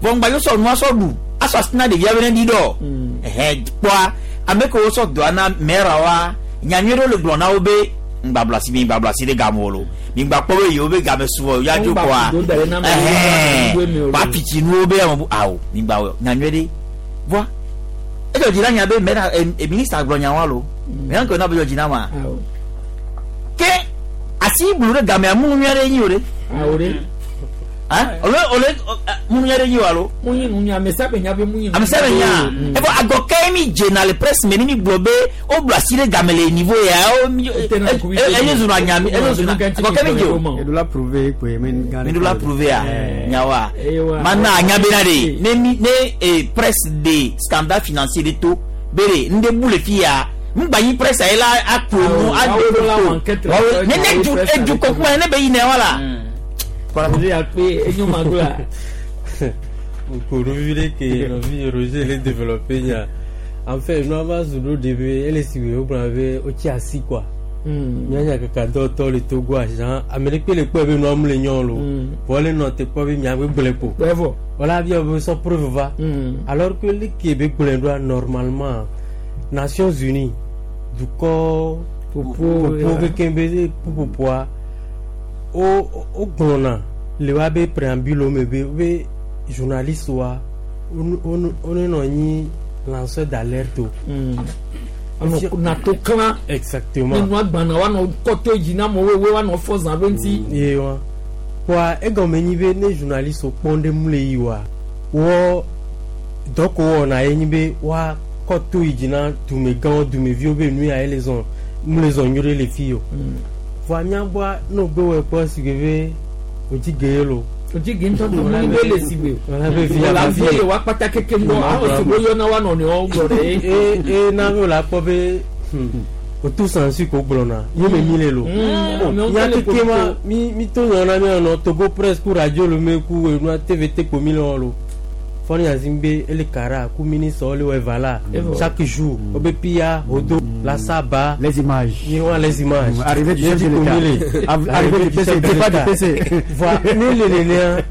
vɔ ŋgba yɔ sɔ nua sɔ ɖu asɔ asi na ɖevia be ne ɖi dɔ ɛhɛ kpɔa ame kewo sɔ dɔa na mɛra wa nyanyui ɖewo le gblɔ na wo be ŋgba bla asi mi ŋgba bla asi ɖe game o lo mi ŋgba kpɔ be yewo be game su ya dzo kɔa ɛhɛn wa pitsi nuwo be ame bu awo mi ŋgba wɔ nyanyui ɖe voa edzɔ dzi na nya be mɛra e minista gblɔ nya wa lo mɛ ŋkɔ na be dzɔ dzi na ma ke asi blu ɖe gamea munu nyui aɖe nyi o ɖe Awo ɖe. ah ole ole munu nyui aɖe nyi o alo Munyi nu nya ame sia ame nya be munyi. ame sia ame nya evɔ agɔkɛ mi dzena le presse me ni mi gblɔ be wo blu asi ɖe game le niveau ya wo mi eye zuna nya mi eye zuna agɔkɛ mi dze o Eɖo la prouver kpe mi gã mi ɖo la prouver a nyawa mana anya bena de ne mi ne e presse de scandale financier de to be de n de bu le fi ya ŋgba yi presse ayi la aklo nu ade to ne ne du edu kɔkuma ne be yi nɛ wa la. Roger akpe enyo magla. Koro vivi ke nɔvi Roger le développé nya. En fait, nous avons zulu début, elle est si vous avez au asi quoi. Nyanya kaka dɔtɔ le Togo agent, ame ɖe kpe le kpɔe be nua mu le nyɔ lo. Vɔ le nɔ te kpɔ be mia be gblẽ ko. Vɔ. Voilà bi be sɔ preuve va. Alors que le ke be gblẽ ɖoa normalement Nations Unies dukɔ popo kekeŋ be ƒuƒoƒoa wo wo gblɔna le wa be préambule me be be journaliste wa wo ne nɔ anyi lanceur d'alerte o. Anɔ nato klã. Exactement. Ne nua gbana wanɔ kɔtɔ dzi na amewo woe wanɔ fɔ zã be ŋuti. Ye wa kɔa egɔme nyi be ne journaliste wo kpɔm ɖe mu le yi wa Wɔ dɔ ko wɔna ye nyi be wa kɔ to yi dzi na dumegãwo dumeviwo be nu ya ye le zɔn mu le zɔn nyuie ɖe le fi o. Vɔa míagbɔa ne wogbe wɔe kpɔ si ke be wòdzi ge ye lo. Wòdzi ge ŋutɔ tó mu be le si gbe. Wòla be vi Wòla ava vi fi ye wa kpata keke ŋgɔ awɔ si wo yɔna wa nɔnɔewo gblɔ ɖe. E e na be wòla kpɔ be otu sansi ko gblɔna ye me mi le lo. Mm, amewo Nya le keke ma politiko. mi mi to nya na mi nɔ Togo presse ku radio lo me ku enua T V T ko mi le wɔ lo. Fɔni yazi be ele kara ku ministre wo le wɔ eva la Evɔ. chaque jour o be pia hodo la saba. Les images. Ni wa les images. Mm, arrivée du chef de Ye l'État. ko mi le. Av- arrivée du P C, chef de départ du l'État. P C. Voa ne le le nea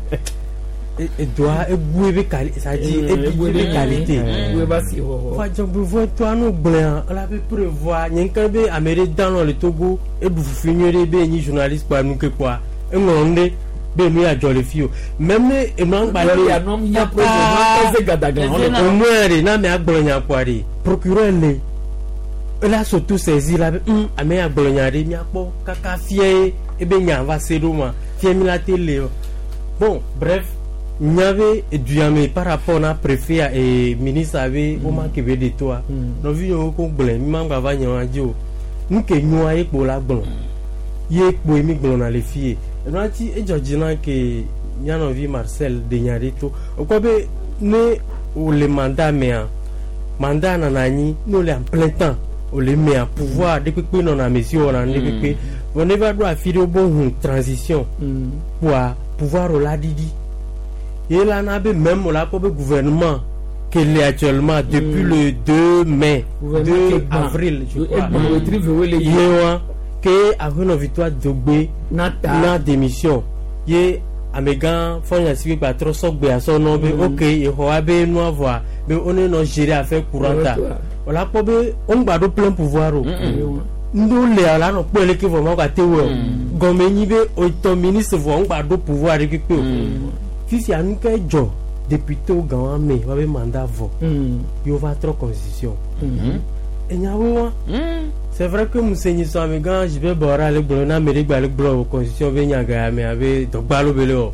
edoa ebu ebe quali c'est-à-dire Mm, ebi ebu ebe ebe qualité. Ebu ebe asi xɔxɔ. Voa dzɔgbevɔe toa no gblẽa ela be prévoir nye ŋke be ame ɖe danɔ le Togo eɖu fufu nyuie ɖe be enyi journaliste kpoa nu ke kpoa eŋlɔ nu ɖe be nu ya dzɔ le fi o même ne enua ŋgba Lɔri ya nɔ mía projet nɔ eze gadagla hɔn le. au moins ɖe na amea gblɔ nya kpoa ɖe procureur le ela surtout saisir la be hum ame ya gblɔ nya ɖe míakpɔ kaka fia ye ebe nya va se ɖo ma fia mi la te le o bon bref nya be eduyame par rapport na préfet a et ministre abe wo ma ke be de toa nɔvi yiwo ko gblɔe mi ma gba va nya wa dzi o nu ke nyoa ye kpo la gblɔ ye kpoe mi gblɔna le fi ye enua tsi edzɔ dzi na ke mía nɔvi Marcel de nya ɖe to wokpɔ be ne wòle mandat mea mandat nana anyi ne wòle en plein temps wòle mea pouvoir ɖe kpekpe nɔna ame si wɔna nu ɖe kpekpe vɔ ne va ɖo afi ɖe wobe hu transition kpoa pouvoir o la ɖiɖi ye la na be même o la kpɔ be gouvernement ke le actuellement depuis le deux mai Gouvernement deux ke gbã. avril je crois Egbã wetri vewe le yi. ye wa ke ahenɔ Victoire Dogbe Na ta. na démission ye amegã fɔnyasi gba trɔ sɔgbe asɔ nɔ be ok exɔ wa be nua vɔa be wo ne nɔ gérer affaire courante Courante, o la kpɔ be wo ŋgba ɖo plein pouvoir o ŋɖewo le la nɔ kpɔe leke vɔ ma gba te wɔ o gɔme nyi be etɔ ministre vɔ ŋgba ɖo pouvoir ɖe kpekpe o fifia nu ke dzɔ député wo gã wa me wa be mandat vɔ ye wo va trɔ constitution enyawo wa c'est vrai que musenyi sɔ amegã Jibe Bɔra le gblɔ na ame ɖe gba le gblɔ o constitution be nya ga ya me abe dɔgbalo be le wɔ.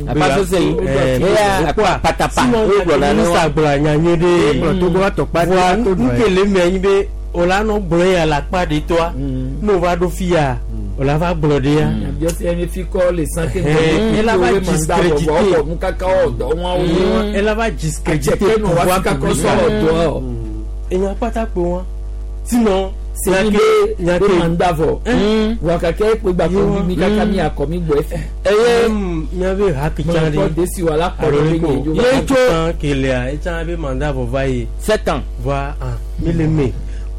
Apa so se- Eya, Okpoa, patapa, sinon, wo gblɔ na ne ministre wa. gblɔ nya nyuie ɖe. Gblɔ Togo wa tɔkpa Voa to nu ke le mea nyi be o la nɔ gblɔ ya le akpa ɖe toa ne o va ɖo fi ya o la va gblɔ ɖe ya. Abiɔsi mi fi kɔ le san ke Eh, ela va discréditer. ɔwɔ nu kaka ɔdɔ wọn wo. Ela va discréditer Adzeke nɔ wa pouvoir fi kakɔ public. sɔ ɔdɔ. Enya kpata kpe wa sinon Seni be nya be ke- mandat vɔ. Wa kake ekpe gba kɔ mi kaka mi akɔ mi gbɔ efi. eye miabe hakitsa Mɔ ɖe desi wa la kpɔ ɖe alo ko nye dzo. ye tso kelea etsã be mandat vɔ va yi. Sept ans. Va ah mi le me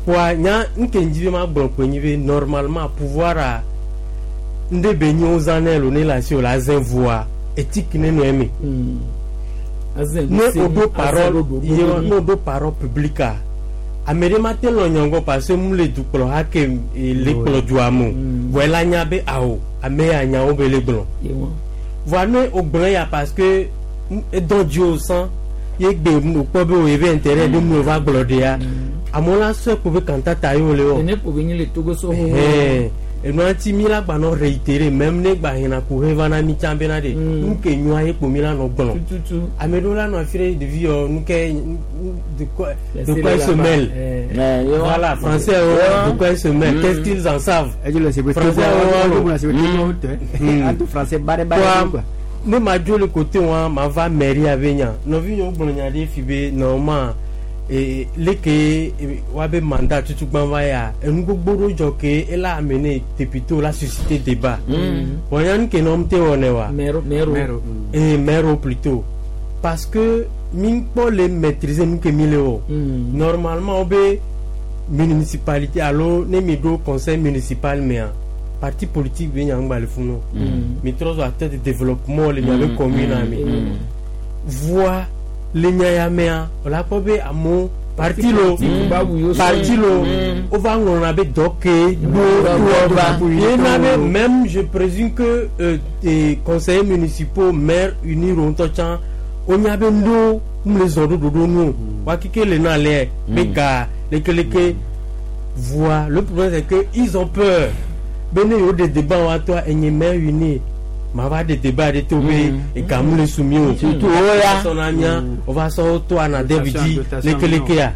wa nya nke ŋdzi be ma gblɔ kpe nyi be normalement pouvoir a ŋɖe be nyi wo zã nɛ lo ne le asi o la zẽ voa éthique ne nɔ eme. Ne o ɖo parole ye ne o ɖo parole publique a ame ɖe ma te lɔ nyɔngɔ parce que mu le dukplɔ ha ke eh, le kplɔ dua me o vɔ ela nya be awo ame ya nyawo be le gblɔ voa ne o gblɔ ya parce que m- edɔ dzi o sã ye gbe mu o kpɔ be o ye be intérêt ɖe mu o va gblɔ ɖea amewo la sɔe ko be kantata ye wo le wɔ Nene ko be nyi le Togo so. ɛhɛn enua ŋuti mi la gba nɔ réitérer même ne gba hena ko he va na mi tsã bena ɖe nu ke nyoa ye kpo mi la nɔ gblɔ Tututu. ame ɖewo la nɔ afi ɖe ɖevi yɔ nu ke de quoi de Laissez-les quoi ils se là-bas. mêlent Eh. voilà français oh, de quoi ils se mêlent qu'est-ce qu'ils en savent français oh, français bare bare Quoi, quoi. ne ma dzo le côté wa ma va mairie abe nya nɔvi nyɔwo gblɔ nya ɖe fi be normalement ee leke eh, wa be mandat tutugbã va ya enu gbogbo ɖewo dzɔ ke ela amener député la susciter débat Mm. bon ya nu ke nɔ te wɔnɛ wa Mero mero. ee maire plutôt parce que mi kpɔ le maîtriser nu ke mi le wɔ Mm. normalement wo be municipalité alo ne mi ɖo conseil municipal mea parti politique be nya ŋgba le funu Mm. mi trɔ zɔ acteur de développement le miabe Mm. commune me Mm. voa le nya ya mea wòle akpɔ be amewo parti lo politique ba wu yo parti lo Mm. wova ŋlɔna be dɔ ke Ba- ba- do ye na be même je présume que euh, des conseillers municipaux maires unis ŋutɔ tsã wonya be nuɖewo mu le zɔ ɖo ɖoɖo nu o wa keke le na alea be ga lekeleke voa le problème c'est que ils ont peur be ne yewo ɖe débat wa tɔa enye maire uni Ma va ɖe débat ɖe to be egamu le su mi o. Surtout wo ya. Sɔna mía wova sɔ to anadebi dzi lekelekea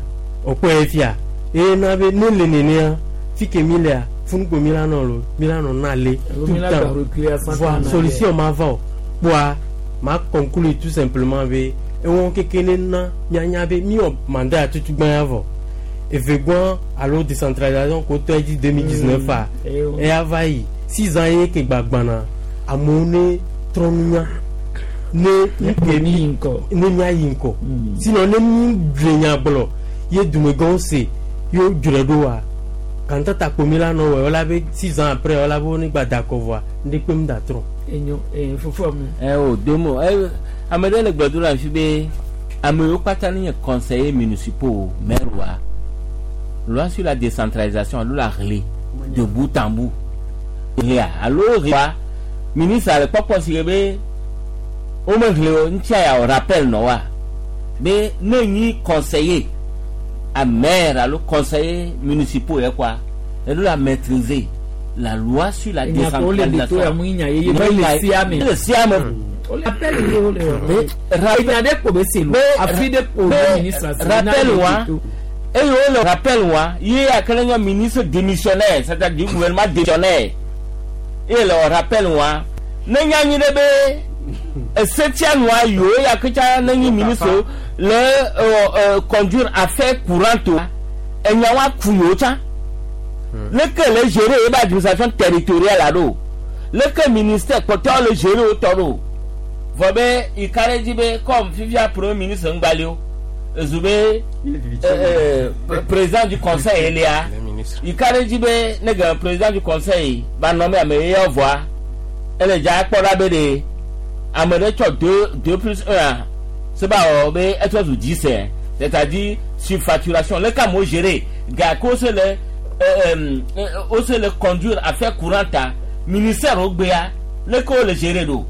wòkpɔe fia eye na be ne le nenea fi ke mi lea funukpo mi la nɔ lo mi la nɔ na le tout mi le la gba temps reculer à cent voa ans en solution ma va o kpoa ma conclure tout simplement be ewɔ keke ne na mianya be mi wɔ mandat ya tutu gbã ya vɔ evegbɔn alo décentralisation ko tɔ dzi deux mille dix neuf a Mm. eya va yi six ans ye ke gbagbana amewo ne trɔ nunya ne ne mi yi ŋkɔ ne mia yi ŋkɔ sinon ne mi dzre nya gblɔ ye dumegãwo se ye wo dzre ɖo wa kantata kpomi la nɔ wɔ wala be six ans après wala be wo ne gba da kɔ vɔa ŋɖe kpe mu da trɔ. Enyo eh fofoa mu. Ɛ o domo ɛ ame ɖe le gbedo le afi be ame yiwo kpata ne nye conseiller municipaux maire wa loi sur la décentralisation alo la ɣli de bout en bout ɣlia alo ɣlia ministre le kpɔkpɔ si ke be womeɣli o ŋutia ya o rappel nɔ wa be ne nyi conseiller a maire alo conseiller municipaux yɛ kɔa eɖo la maîtriser la loi sur la Enya ko le de to ya décentralisation mu nya ye ye be le sia me. le sia me. O le appel ye o le wɔ. Enya ɖe ko be se lo. Afi ɖe ko be ministre se. rappel wa eye wole rappel wa ye akele nye ministre démissionnaire c'est-à-dire du gouvernement démissionnaire eye le rappel wa ne nya nyi ɖe be esetia nua yiwo ya ketsa ne nyi ministre le euh, euh, conduire affaire courante wa enya wa ku yiwo tsã leke le gérer ye be administration territoriale la ɖo leke ministère kpɔtɔawo le gérer wo tɔ ɖo vɔ be yi ka ɖe dzi be comme fifia premier ministre ŋgbali o ezu be euh, euh, président du conseil elia yi ka ɖe dzi be ne ge président du conseil ba nɔ me ame ye yɔ vɔa ele dza kpɔ ɖa be ɖe ame ɖe tsɔ deux deux plus un a se ba wɔ be etrɔ zu dix hein c'est-à-dire surfacturation leke amewo gérer gake wo se le euh, euh, wo se le conduire affaire courante a ministère wo gbea leke wo le gérer ɖo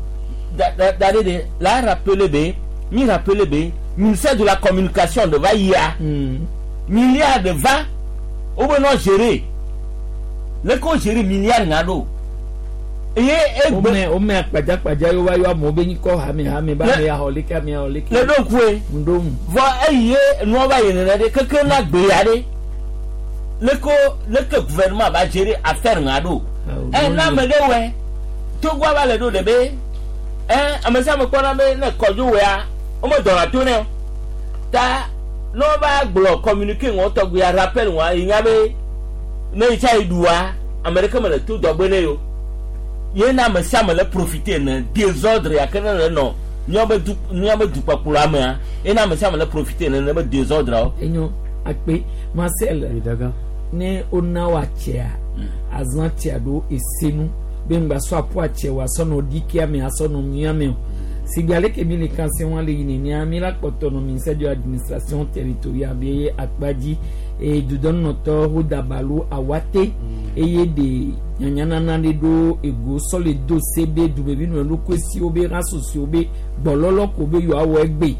da da da ɖe de la rappeler be mi rappeler be ministère de la communication de va yia milliard de va wo be nɔ gérer leke wo gérer milliard ŋa ɖo eye egbe. O mɛ o mɛ akpadzakpadza yi wa yɔ amewo be nyikɔ hame hame ba ame yaxɔ leke ame yaxɔ leke. Le ɖo ŋkue. Ŋɖo ŋu. Vɔ eye nua va yi nene ɖe keke na gbe ya ɖe leke leke gouvernement va gérer affaire ŋa ɖo ɛ na ame ɖe wɔe togoa va le ɖo ɖe be ɛ ame sia ame kpɔna be ne kɔdzo wɔea wome dɔna to nɛ o ta ne wova gblɔ communiqué ŋɔ tɔgbea rappel ŋua yi nya be ne yi tsa yi ɖua ame ɖeke me le to dɔgbe ne o ye na ame sia ame le profiter ne désordre ya ke ne le nɔ míabe du míabe dukpɔkplɔa mea ye na ame sia ame le profiter ne ne be désordre wo. Enyo akpe Marcel. Ne wona wa tsea azã tsea ɖo esenu be ŋgba sɔ aƒu atse wa sɔ nɔ ɖikia me asɔ nɔ mia me o sigbe ale ke mi le kanse wa le yi nenea mi la kpɔtɔ nɔ ministère de l'administration territoriale be akpa dzi eye dudɔnunɔtɔ ho dabalo awate eye de nyanyanana ɖe ɖo ego sɔ le do se be dumevi nɔ ɖokui siwo be rasosiwo be gbɔlɔlɔ ko be yewoawɔ egbe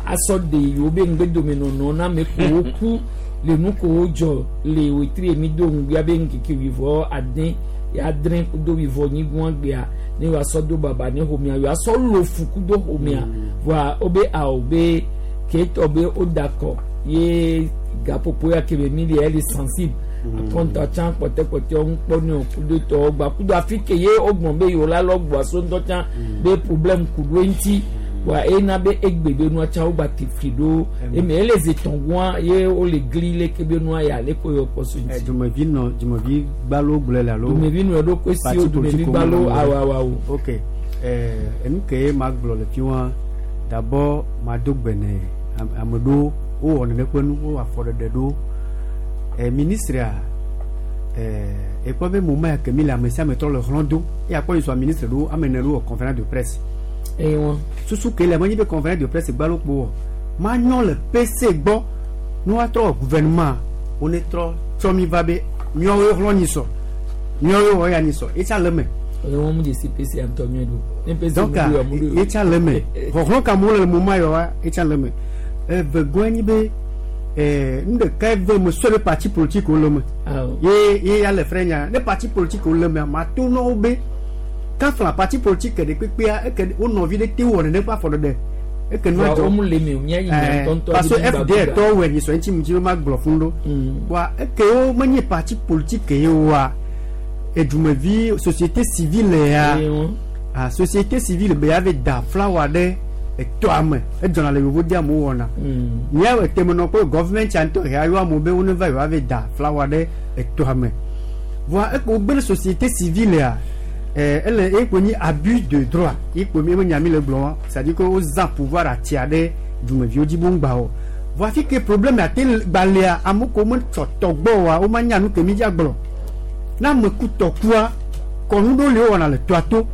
asɔ de yewo be ŋgbedomenɔnɔ na ame kowo ku le nu kowo dzɔ le wetri mi do ŋgbea be ŋkeke wivɔ ade adre kudo wivɔ nyigba gbea ne woasɔ do baba ne xɔmea woasɔ lo fu kudo xɔmea voa wobe awo be ketɔ be woda kɔ ye gaƒoƒo ya ke be mi le ele sensible akɔnta tsã kpɔtɛkpɔtɛ ŋu kpɔ ne o kudo tɔwo gba kudo afi ke ye wogbɔn be yewo la lɔ gbɔ so ŋutɔ tsã be problème ku ɖo eŋuti wa ena be egbe be nua tsã wogba te fli ɖo eme ele zetɔngua ye wole gli leke be nua ya le ko yɔ kpɔ so ŋuti. Dumevi nɔ dumevi gbalo gblɔe le alo. Dumevi nɔ ɖokui si wo dumevi gbalo awoawoawo. Ok ɛɛ enu ke ye ma gblɔ le fi wa d'abord ma do gbe ne ame ɖewo wowɔ nene ƒe nu wowɔ afɔɖeɖe ɖo ɛ ministre ɛɛ ekpɔ be moment ya ke mi le ame sia ame trɔ le hlɔ̃ do eye akpɔ yi sɔ ministre ɖo ame ene ɖo wɔ conférence de presse. Eye wɔn. Susu ke le menye be conférence de presse gbalo kpo wɔ manyɔ le PC gbɔ ne woatrɔ wɔ gouvernement wo ne trɔ tsɔ mi va be miawoe hlɔ̃ nyi sɔ miawoe wɔ ya nyi sɔ etsa le me. Eye wɔn mu de si PC ŋutɔ nyuie ɖo. Ne PC donc mu ɖo ya mu ɖo. etsa le me xɔxlɔ̃ ka mo le moment yɔ wa etsa le me eve gɔe nyi be ɛɛ nu ɖeka eve me sɔ be parti politique wo le me ye ye ya le frɛ nya ne parti politique wo le mea ma to na wo be Kafla parti politique de kpekpea eke wo nɔvi ɖe te wɔ nene ƒe afɔ ɖeɖe eke nua Wa dzɔ wo le me o, mía yi nya ŋutɔŋutɔ parce que ɖe F D gbagba. tɔwo wɔ nyi sɔ ŋuti mu dzi be ma gblɔ fún ɖo wa eke wo menye parti politique ye wa edumevi société civile ya ah société civile be ya ve da flawa ɖe etɔa me edzɔna le yevu de amewo wɔna mía etemenɔ kple government ŋutɔ ya yɔ amewo be wo ne va yewoa ve da flawa ɖe etɔa me voa eke wo gbe ɖe société civile ya eh, ele ekpo nyi abus de droit ekpo mi enya mi le gblɔ wa c'est à dire que wo zã pouvoir atia ɖe dumeviwo dzi be ŋgba o voa fi ke problème ate gbalẽa amewo ko me tsɔ tɔgbɔ oa wo ma nya nu ke mi dza gblɔ na ame ku tɔkua kɔnu ɖewo le wowɔna le toa to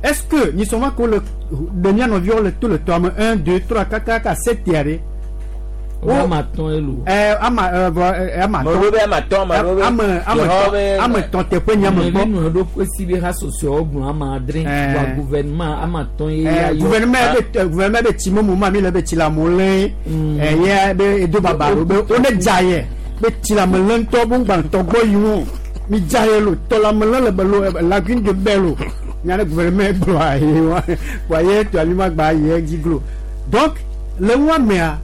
est-ce que nyisɔma ko le ɖe mía nɔviwo le to le toa me un deux trois kakaka sept ya ɖe Wo ama atɔ̃ ye lo. ɛ ama ɛ vɔ ɛ ama Ame ɖewo be ama atɔ̃, ame ɖewo be- ame ame Yehowa tɔ̃ be- ame tɔ̃ teƒe nye ame gbɔ nu ɖo kwesi be ha sosiawo gblɔ ama adre Eh. wa gouvernement ama atɔ̃ ye Eh, ya yɔ. gouvernement be eh, gouvernement be tsi momo ma mi le be tsi le amewo lé ɛ ye be edo baba ɖo be wo ne dza yɛ be tsi le ame lé ŋutɔ be ŋgba tɔ gbɔ yi ŋu mi dza yɛ lo tɔ le ame lé le be lo eh, lagune de bɛ lo nya ne gouvernement gblɔ ayi wa wa ye tɔ ami ma gba yi edzi glo donc le ŋua mea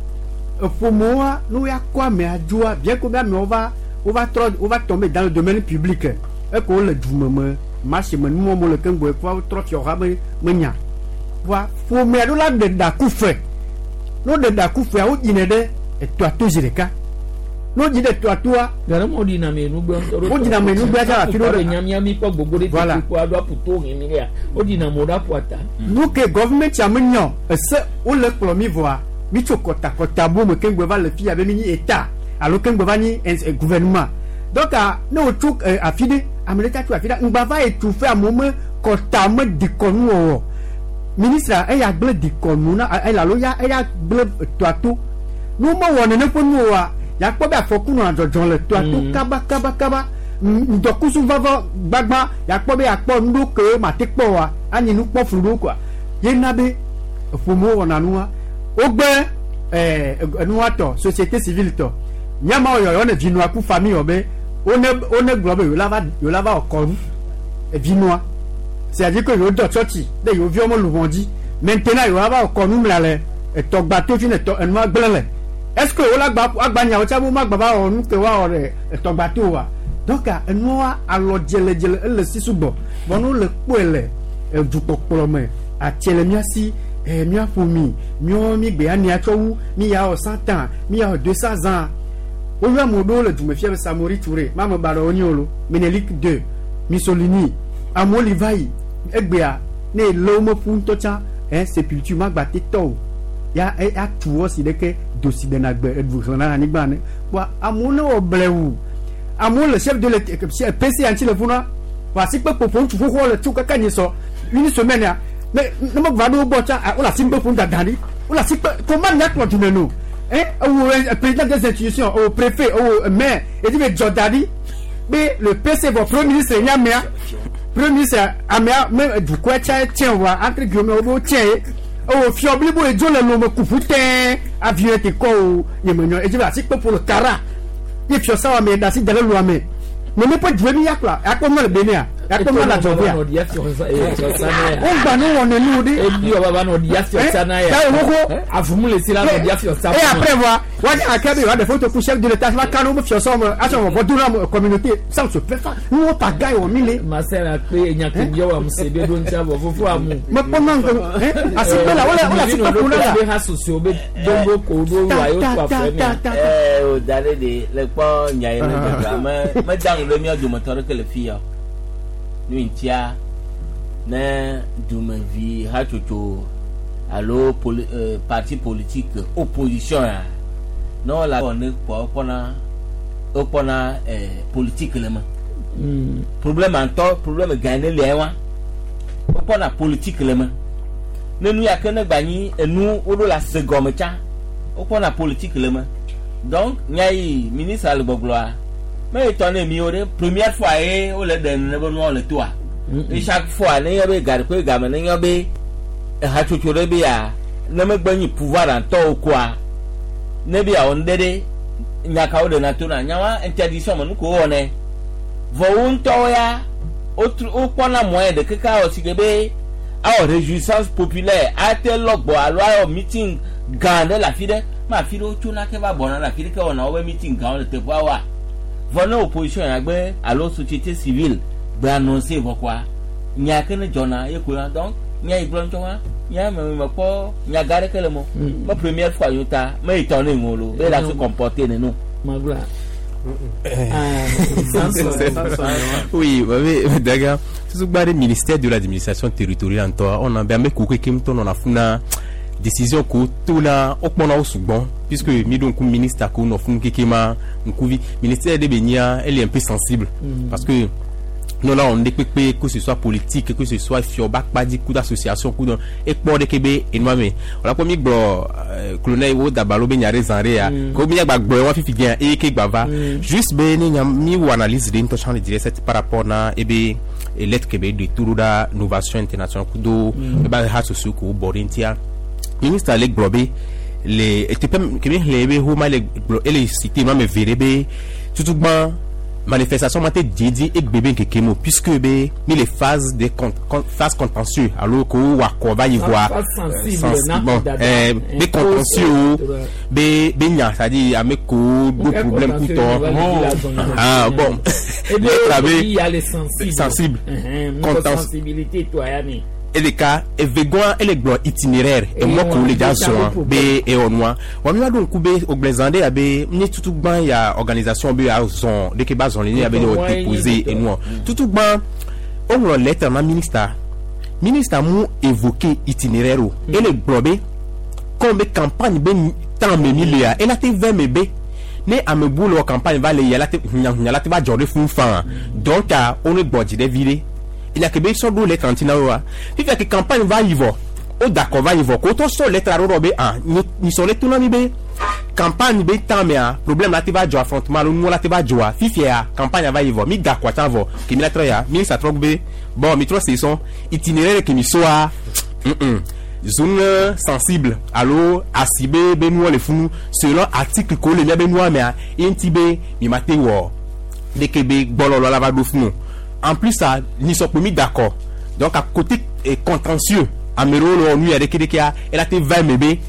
eƒomewoa ne woya kɔ amea dzoa bien que be amewo va wova trɔ wova tomber dans le domaine public eke wole dume me marché me nuwɔm wole keŋ gbɔ ekua wotrɔ fiɔha be menya voa ƒomea ɖo la ɖe ɖaku fe ne woɖe ɖaku fea woɖinɛ ɖe etɔa to zi ɖeka ne woɖi ɖe etɔa toa Gare mo ɖina me nugbe ŋutɔ ɖo. Woɖina me nugbe ata afi ɖo ɖe. Nyamia mi kpɔ gbogbo ɖe Voilà. tete kpɔ aɖo aƒu to hɛn mi ɖea. Woɖina mo ɖo aƒu ata. nu ke gɔvumɛnti ame nyɔ ese wole kplɔ mi vɔa mi tso kɔtakɔta bo me keŋgbe va le fia be mi nyi eta alo keŋgbe va nyi ins- eh, gouvernement donc ah, ne wotso eh, afi ɖe ame ɖe ta tso afi ɖe ŋgba va yi tu fe amewo me kɔta me dikɔnu wɔwɔ ministre eya gblẽ dikɔnu na eya alo ya eya gblẽ toa to ne womewɔ nene ƒe nu oa yakpɔ be afɔku nɔna dzɔdzɔ le toa to kaba kaba kaba ŋdɔkusu vava gbagba yakpɔ be yakpɔ nu ɖewo ke mate kpɔ oa anyi nukpɔflu ɖewo koa yena be ƒomewo wɔna nua wogbe ɛɛ enua tɔ société civile tɔ nyama yɔyɔ ne vinua ku famille wɔ be wone wone gblɔ be yewo la va yewo la va wɔ kɔnu evinua c'est à dire que yewo dɔ tsɔtsi ɖe yewo viwo me luʋɔ dzi maintenant yewo va wɔ kɔnu mla le etɔgba to fi ne tɔ enua gblẽ le est ce que wola gba agba nyawo tsa be womagba va wɔ nu ke woawɔ ɖe etɔgba to oa donc enua alɔ dzeledzele ele si sugbɔ vɔ ne wole kpɔe le edukpɔkplɔ me atse le mía si eh, míaƒo mi míawo mi gbe ania tsɔ wu mi ya wɔ cent ans mi ya wɔ deux cents ans woyɔ ame ɖewo le dumefia be Samori Touré mame ba ɖewo nyi o lo Menelik deux Mussolini amewo li va yi egbea ne ele wo meƒu ŋutɔ tsã eh, sépulture magba te tɔ o ya e atu wɔ si ɖeke dosi ɖena gbe eɖu xlẽna le anyigba ne kpoa amewo ne wɔ blewu amewo le chef de l'état P C ŋuti le funa wɔ asikpe ƒoƒo ŋutsu xoxowo le tso kaka nyi sɔ une semaine ya ne ne me va ɖo wo gbɔ tsã ah, wole asikpe ƒom dada ɖi wole asikpe comment miakplɔ dume no hein ewo eh, président des institutions ewo préfet ewo maire edi be dzɔ da ɖi be le P C vɔ premier ministre nye amea premier ministre amea me dukɔa tsa tiɛ wa entre guillemets wo be wo tiɛ ye ewo fiɔ blibo ye dzo le lome kuƒu tɛɛ avion te kɔ o nyemenyɔ edzi be asikpe ƒo le kara ye fiɔ sa wa me da asi da ɖe lua me nene ƒe due mi yakplɔ akpɔ mɔ le Benin akpɔ mɔ le adzɔgea wo gba nu wɔ nenu ɖi Ebi wɔ baba nɔ ɖia fiɔsa na ya. Eh, da wo Avumu le si la nɔ ɖia fiɔsa. et après voir wa akɛ be wa de photo ku chef de l'état va kanu be fiɔsɔ me asɔ wɔ bɔ do na communauté ça on se fait pas nous on pa ga wɔ mi le. Masela kpe enyake biɔ wa muse be ɖo ŋuti avɔ fofo amu. mekpɔ na ŋgɔ asikpe la wole wole asikpe ƒo na la. Be ha soso be dombo ko ɖo wa yo to afɔ mea. Ɛ o da ɖe de le kpɔ nya yi ne dzɔdzɔa me meda ŋu ɖe mía dometɔ ɖeke le fi ya o. Nu ŋutia ne dumevi hatsotso alo poli eh, parti politique opposition ya ne wole wɔ ne kpɔ wokpɔna wokpɔna eh, politique le me. Problème ŋutɔ problème gã ne lia wa wokpɔna politique le me. Ne nu ya ke ne gba nyi enu woɖo le ase gɔme tsã wokpɔna politique le me. Donc nya yi ministre le gbɔgblɔa me yi tɔ ne miwo ɖe première fois ye wole ɖe nene be nuawo le toa. Et chaque fois ne nye be gaɖe game ne nye be hatsotso ɖe be ya ne megbe nyi pouvoir ŋutɔwo koa ne be yeawɔ nu ɖe ɖe nya kawo ɖena tona nyawa interdiction me nu ko wowɔnɛ vɔ wo ŋutɔwo ya wokpɔna moyen de keke awɔ si ke be awɔ réjouissance populaire ate lɔgbɔ alo awɔ meeting gã ɖe le afi ɖe ma afi ɖe wotsona ke va bɔna le afi ɖe ke wɔna wobe meeting gãwo le teƒea wa vɔ ne opposition ya gbe alo société civile gbe annoncer vɔ koa nya ke ne dzɔna ye ko ya donc nya yi gblɔ ŋutɔ wa nya me me kpɔ nya gã ɖeke le mo me première fois yi ta me yi tɔ ne ŋu lo be la se comporter neno. Magla. Oui, mais d'accord. Tout le ministère de l'administration territoriale, on a bien on a funa décision ko tona o kpɔna wo sugbɔn puisque mi ɖo ŋku ministre ko nɔ funu keke ma ŋkuvi ministère de be nia elle est un peu sensible mm. parce que nous là on kpekpe que ce soit politique que ce soit fioba kpadi coup d'association coup d'un ekpɔ ɖeke be enua me wòle kpɔ mi gblɔ colonel wo dabalo be nya ɖe zã ɖe ya ko mi gba gblɔ wa fifi gɛn eye ke gba va juste be ne nya mi wo analyse ɖe ŋutɔ tsã le dire cette par rapport na ebe lettre ke be de turu ɖa innovation internationale kudo ebe ha soso ko bɔ ɖe ŋutia ministre le gblɔ be le eteƒe kemi xlẽ ebe homa le gblɔ ele cité ma me ve ɖe be tutugbã manifestation ma te didi egbe be nkeke mo puisque be mi le phase de con, con, phase contentieux alo ko wa kɔ va yi voa bon eh, be contentieux o be be nya c'est à dire ame ko do problème kutɔ ah bon be sensible contentieux eleka evegɔa ele gblɔ itinéraire emɔ ko le dza zɔn be ewɔnua wa mi wa ɖo ŋku be ogblẽzã ɖe abe nye tutugbã ya organisation be ya zɔn ɖeke ba zɔn le nye abe ne wɔ déposer enua tutugbã woŋlɔ lettre na ministre ministre mu évoqué itinéraire o ele gblɔ be comme be campagne be temps me mi lea ela te vɛ me be ne ame bu le wɔ campagne va le ya la te hunyahunya la te va dzɔ ɖe fún fan donc wo ne gbɔ dzi ɖe vi ɖe il sɔ ɖo lettre ŋuti na wo wa fifia ke campagne va yi vɔ o d'accord va yi vɔ ko tɔ sɔ lettre aɖo ɖɔ be ah nyisɔ le to na mi be campagne be temps mea problème la te va dzɔ affrontement alo nuwo la te va dzɔa fifia campagne va yi vɔ mi d'accord tsã vɔ ke mi la trɔ ya ministre trɔ be bon mi trɔ se sɔn itinéraire ke mi soa zone sensible alo asi be be nuwo le funu selon article ko le mia be nua mea ye ŋuti be mi ma te wɔ ɖeke be gbɔlɔlɔ la va ɖo funu. En plus, ça, ni sommes mis d'accord. Donc, à côté eh, contentieux, Amero, nous, il y a des qui elle a été vingt bébés.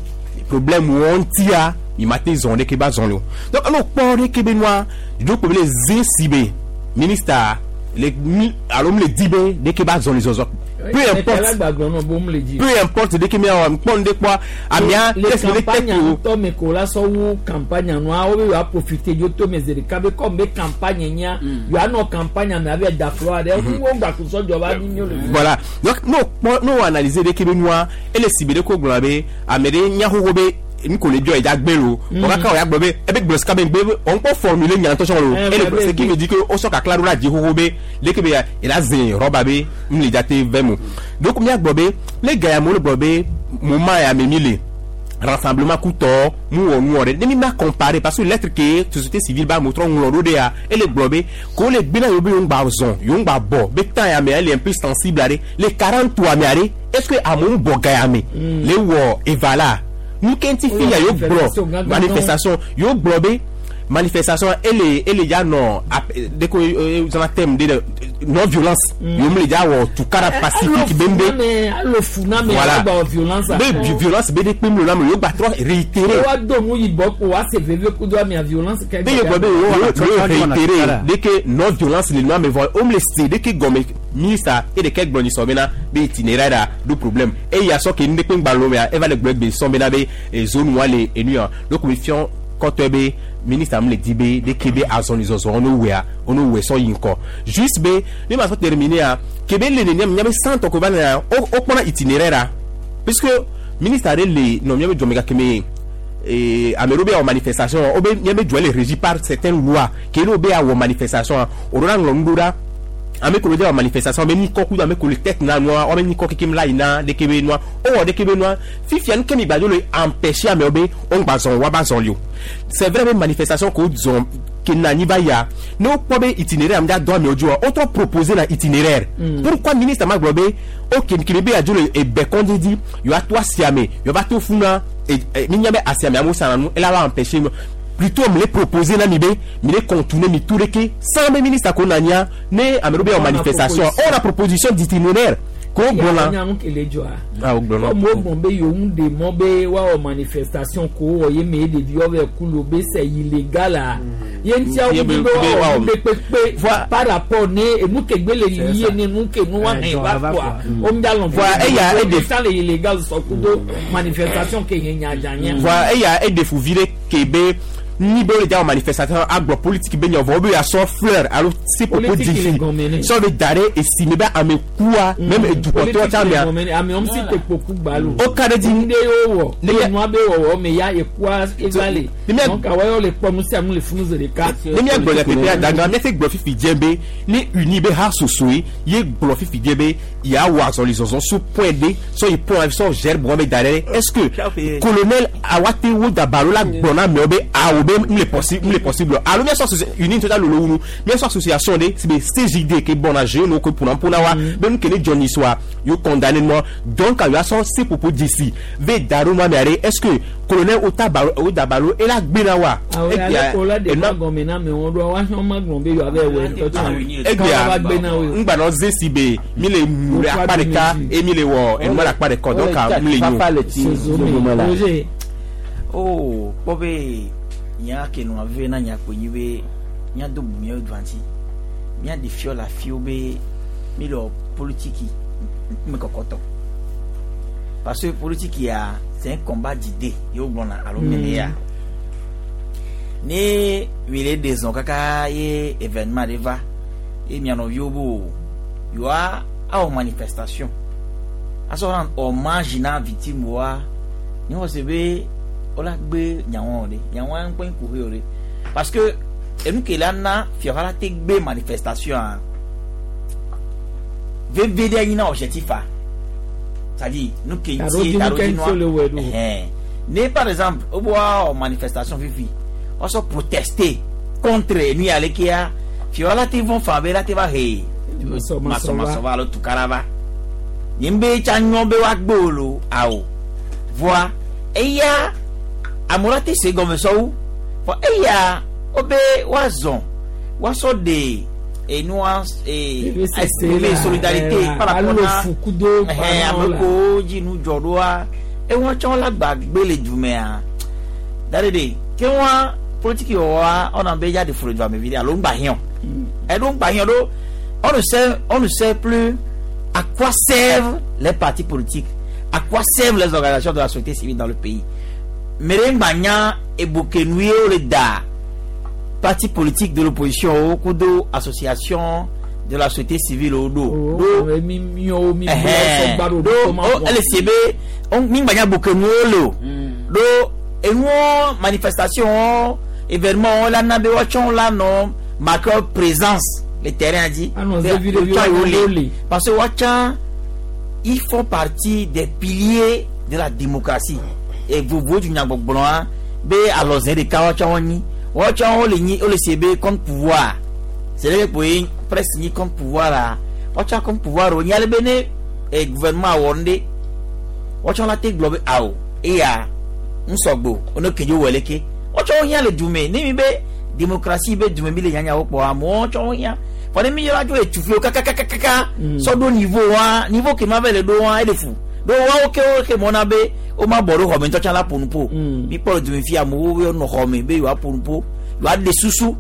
Problème où on tient, il m'a été zondé qui bat zondé. Donc, on a parlé québécois, donc, les incibés, ministre, les, alors, les dibés, des qui bat zondé, zondé. Peu importe, peu importe dès que mi on de quoi amia les campagnes to me kola so wu campagne no a o wa profiter yo to me zere kabe comme be campagne nya yo ano campagne me avec da flore de wo gba ku so joba ni mi voilà donc nous nous analyser dès que noa et les cibler ko gblɔ be amede nya hoho be nkole bio eja gbelo o ka ka o ya gblɔ be ebe gblɔ sika be gbe on peut formuler nya ntɔ lo et le ce qui me dit que o so ka kla do la di hoho be le ke be il a zin roba be m le jate vemo donc mi agblɔ be le gaya mo le gblɔ be moment ya me mi le rassemblement kutɔ mu wɔ nu wɔ ɖe ne mi ma comparer parce que lettre ke société civile ba mo trɔ ŋlɔ ɖo de ya ele gblɔ be ko le gbena yewo be yewo ŋgba zɔn yewo ŋgba bɔ be temps ya me ele un peu sensible aɖe le quarante-trois me aɖe est-ce que amewo bɔ ga ya me le wɔ eva la nu ke ŋuti fi ya yewo gblɔ manifestation yewo gblɔ be manifestation ele ele ya nɔ de ko zana thème de non violence yewo le ya wɔ tukara pacifique bembe voilà be violence be de kpem lo la me yewo gba trɔ réitérer wa do nu yibɔ ko wa se veve kudo amia violence kɛ be yewo gblɔ be yewo réitérer de ke non violence le nua me vɔ wo le se de ke gɔme ministre e de ke gblɔ nyisɔ bena be itinéraire a do problème eya sɔ ke nu de kpe ŋgba lo mea eva le gblɔ egbe sɔn bena be zone wa le enu ya donc mi fiɔ kɔtɔ be ministre am le di be de ke be azɔlizɔzɔ ono wea ono wɛ sɔ yi ŋkɔ juste be ne ma sɔ terminer a ke be le nenia mia be centre ko va na o o kpɔna itinéraire a puisque ministre ale le nɔ mia be jɔmɛ ka keme ee ame ɖewo be awɔ manifestation o be mia be jɔ le régi par certaines lois ke ne wo be awɔ manifestation o ɖo la ŋlɔ nu ɖo ɖa ame ko le wɔ manifestation ame nyikɔ kudo ame ko le tête na nua ame nyikɔ kekem la yina ɖeke be nua o wɔ ɖeke be nua fifia nu ke mi gbadzo le empêcher amewo be wo ŋgba zɔn wa ba zɔn li o c'est vrai be manifestation ko zɔn ke na anyi va ya ne wokpɔ be itinéraire am dza dɔn amewo dzioa wotrɔ proposer na itinéraire pourquoi ministre ma gblɔ be ok kebe be adzo le ebe kɔndzi di yewoa to asiame yewoa va to funa mi nya be asiame amewo sana nu ela va empêcher Plutôt me les proposer na mi be mi les contourner mi tout leke sans be ministre ko nanya ne ameɖo be On a manifestation proposition. on a proposition d'itinéraire ko gbɔna nya nu kele dzɔa. ah o gbɔna Comme wo gbɔn be yewo ŋu ɖe mɔ be woawɔ manifestation ko wɔ ye me ɖeviwo vɛ ku lo be c'est illégal a. Ye ŋutia Ye wo be- be be woawɔ woawɔ- nu ɖe kpekpe par rapport ne enu ke gbe le yiyi ye ne nu ke nu wa hɛn va kɔa. O ŋu dza lɔn Voa, eya eɖe- ta le illégal sɔ kudo manifestation ke nye nyadza nye. voa eya eɖe fuvi ɖe ke be ni be wole dza wɔ manifestation agblɔ politique be nya vɔ wo be asɔ fleur alo si popo Politique difi le gɔme ne. sɔ be da ɖe esi me be ame kua même edukɔtɔ tsa mea Ame wɔm si te kpoku gbalo. O ka ɖe dzi. Nu ɖe ye wowɔ. Ne Eye mia- nua be wɔwɔ me ya ekua eva le. Ne mia- Donc awɔ yɔ le kpɔ nu sia nu le funu zi ɖeka. ne míagblɔ nyateƒe adagã míate gblɔ fifi dze be ne uni be ha sosoe ye gblɔ fifi dze be yeawɔ azɔlizɔzɔ so point D sɔ yi point A sɔ gère bɔn be da ɖe est ce que colonel awate wo dabalo la gblɔ na amewo be awo be mu le possible mu le possible alo míasɔ asocia uni ŋutɔ ta lolo wu nu míasɔ association ɖe si be CJD ke bɔna jeune wo ke ƒona ƒona wa be nu ke ne dzɔ nyi soa yewo condamné nua donc yewoasɔ se popo dzesi ve da ɖo nua mea ɖe est ce que colonel wo ta balo wo dabalo ela gbe na wa Awɔ Egbea, ale ko la de enua- ma gɔme na amewo ɖoa woahiã ma gblɔ be yewoava wɔ ŋutɔ tsã. egbea va gbe na wo. ŋgbanɔ ze si be mi le mu le akpa ɖeka eye mi le wɔ enua le akpa ɖeka donc mi le fafa nyo le ti zogome la Roger. o kpɔ be nya ke nua veve na nya kpo nyi be míado bu míawo dua ŋuti míaɖe fiɔ le afiwo be mi le wɔ politiki ŋkume kɔkɔtɔ parce que politiki ya c'est un combat d'idées ye wo gblɔna alo mele ya ne mi le ɖe zɔn kaka ye événement ɖe va ye mia nɔviwo be o yewoa awɔ manifestation asɔ rendre hommage na victime woa ne wɔ se be wola gbe nyawo ɖe nyawoa ŋkpɛ ŋkuhe o ɖe parce que enu ke la na fiaha la te gbe manifestation a veve ɖe nyina objectif a c'est à dire nu ke ŋuti Taɖodzinu ke ŋuti wole wɔe ɖo. ɛhɛn ne par exemple wo be woawɔ manifestation fifi woasɔ protester contre enu ya lekea fiaha la te vɔn fan be la te va he masɔmasɔ va alo tukara va nye be tsa nyɔ be woagbe o lo awo voa eya amewo la te se gɔme sɔwu vɔ eya wobe woazɔ woasɔ de enua ee exprimer solidarité par rapport alo na fukudo ɛhɛn ame kewo dzi nu dzɔ ɖoa eŋua tsɔ la gbagbe le dumea da ɖe de ke ŋua politiki wɔwɔa ɔna be ya de folo dua me vi ɖe alo ŋgba hiã ɛɖo ŋgba hiã ɖo on ne sait on ne sait plus à quoi servent les partis politiques à quoi servent les organisations de la société civile dans le pays mere ŋgba nya ebokenu ye wo le da parti politique de l'opposition wo kudo association de la société civile wo ɖo ɖo mi miɔwo mi Ɛhɛn. sɔgba ɖo ɖo o ele se be o mi ŋgba nya bokenu wo le o ɖo enuwo manifestation wo événement wo la na be woatsɔ la nɔ marqueur présence le terrain dzi Anɔ Be zevi ɖeviwo wotsɔ yewo wo le le. parce que woatsã ils font partie des piliers de la démocratie et vovo du nyagbɔgblɔa be alɔzɛ ɖeka woatsã wo nyi woatsã wo le nyi wo le se be contre pouvoir c'est vrai que ye presse nyi contre pouvoir la woatsã contre pouvoir o nyi ale be ne eh, gouvernement wɔ nu ɖe woatsã la te gblɔ be awo eya ŋusɔgbo one kedzo wɔ leke woatsã wo hiã le dume ne mi be démocratie be dume mi le nyanya wo kpɔ amewo woatsã wo hiã fɔ ne mi yɔrɔ dzo etufiwo kakakakaka sɔ ɖo niveau wa niveau ke ma va le ɖo wa ele fu ɖo wawo ke wo ke mɔna be wo ma bɔ ɖo xɔme ŋutɔ tsã la ƒo nu ƒo mi kpɔ le dume fi amewo wo nɔ xɔme be yewoa ƒo nu ƒo yewoa ɖe susu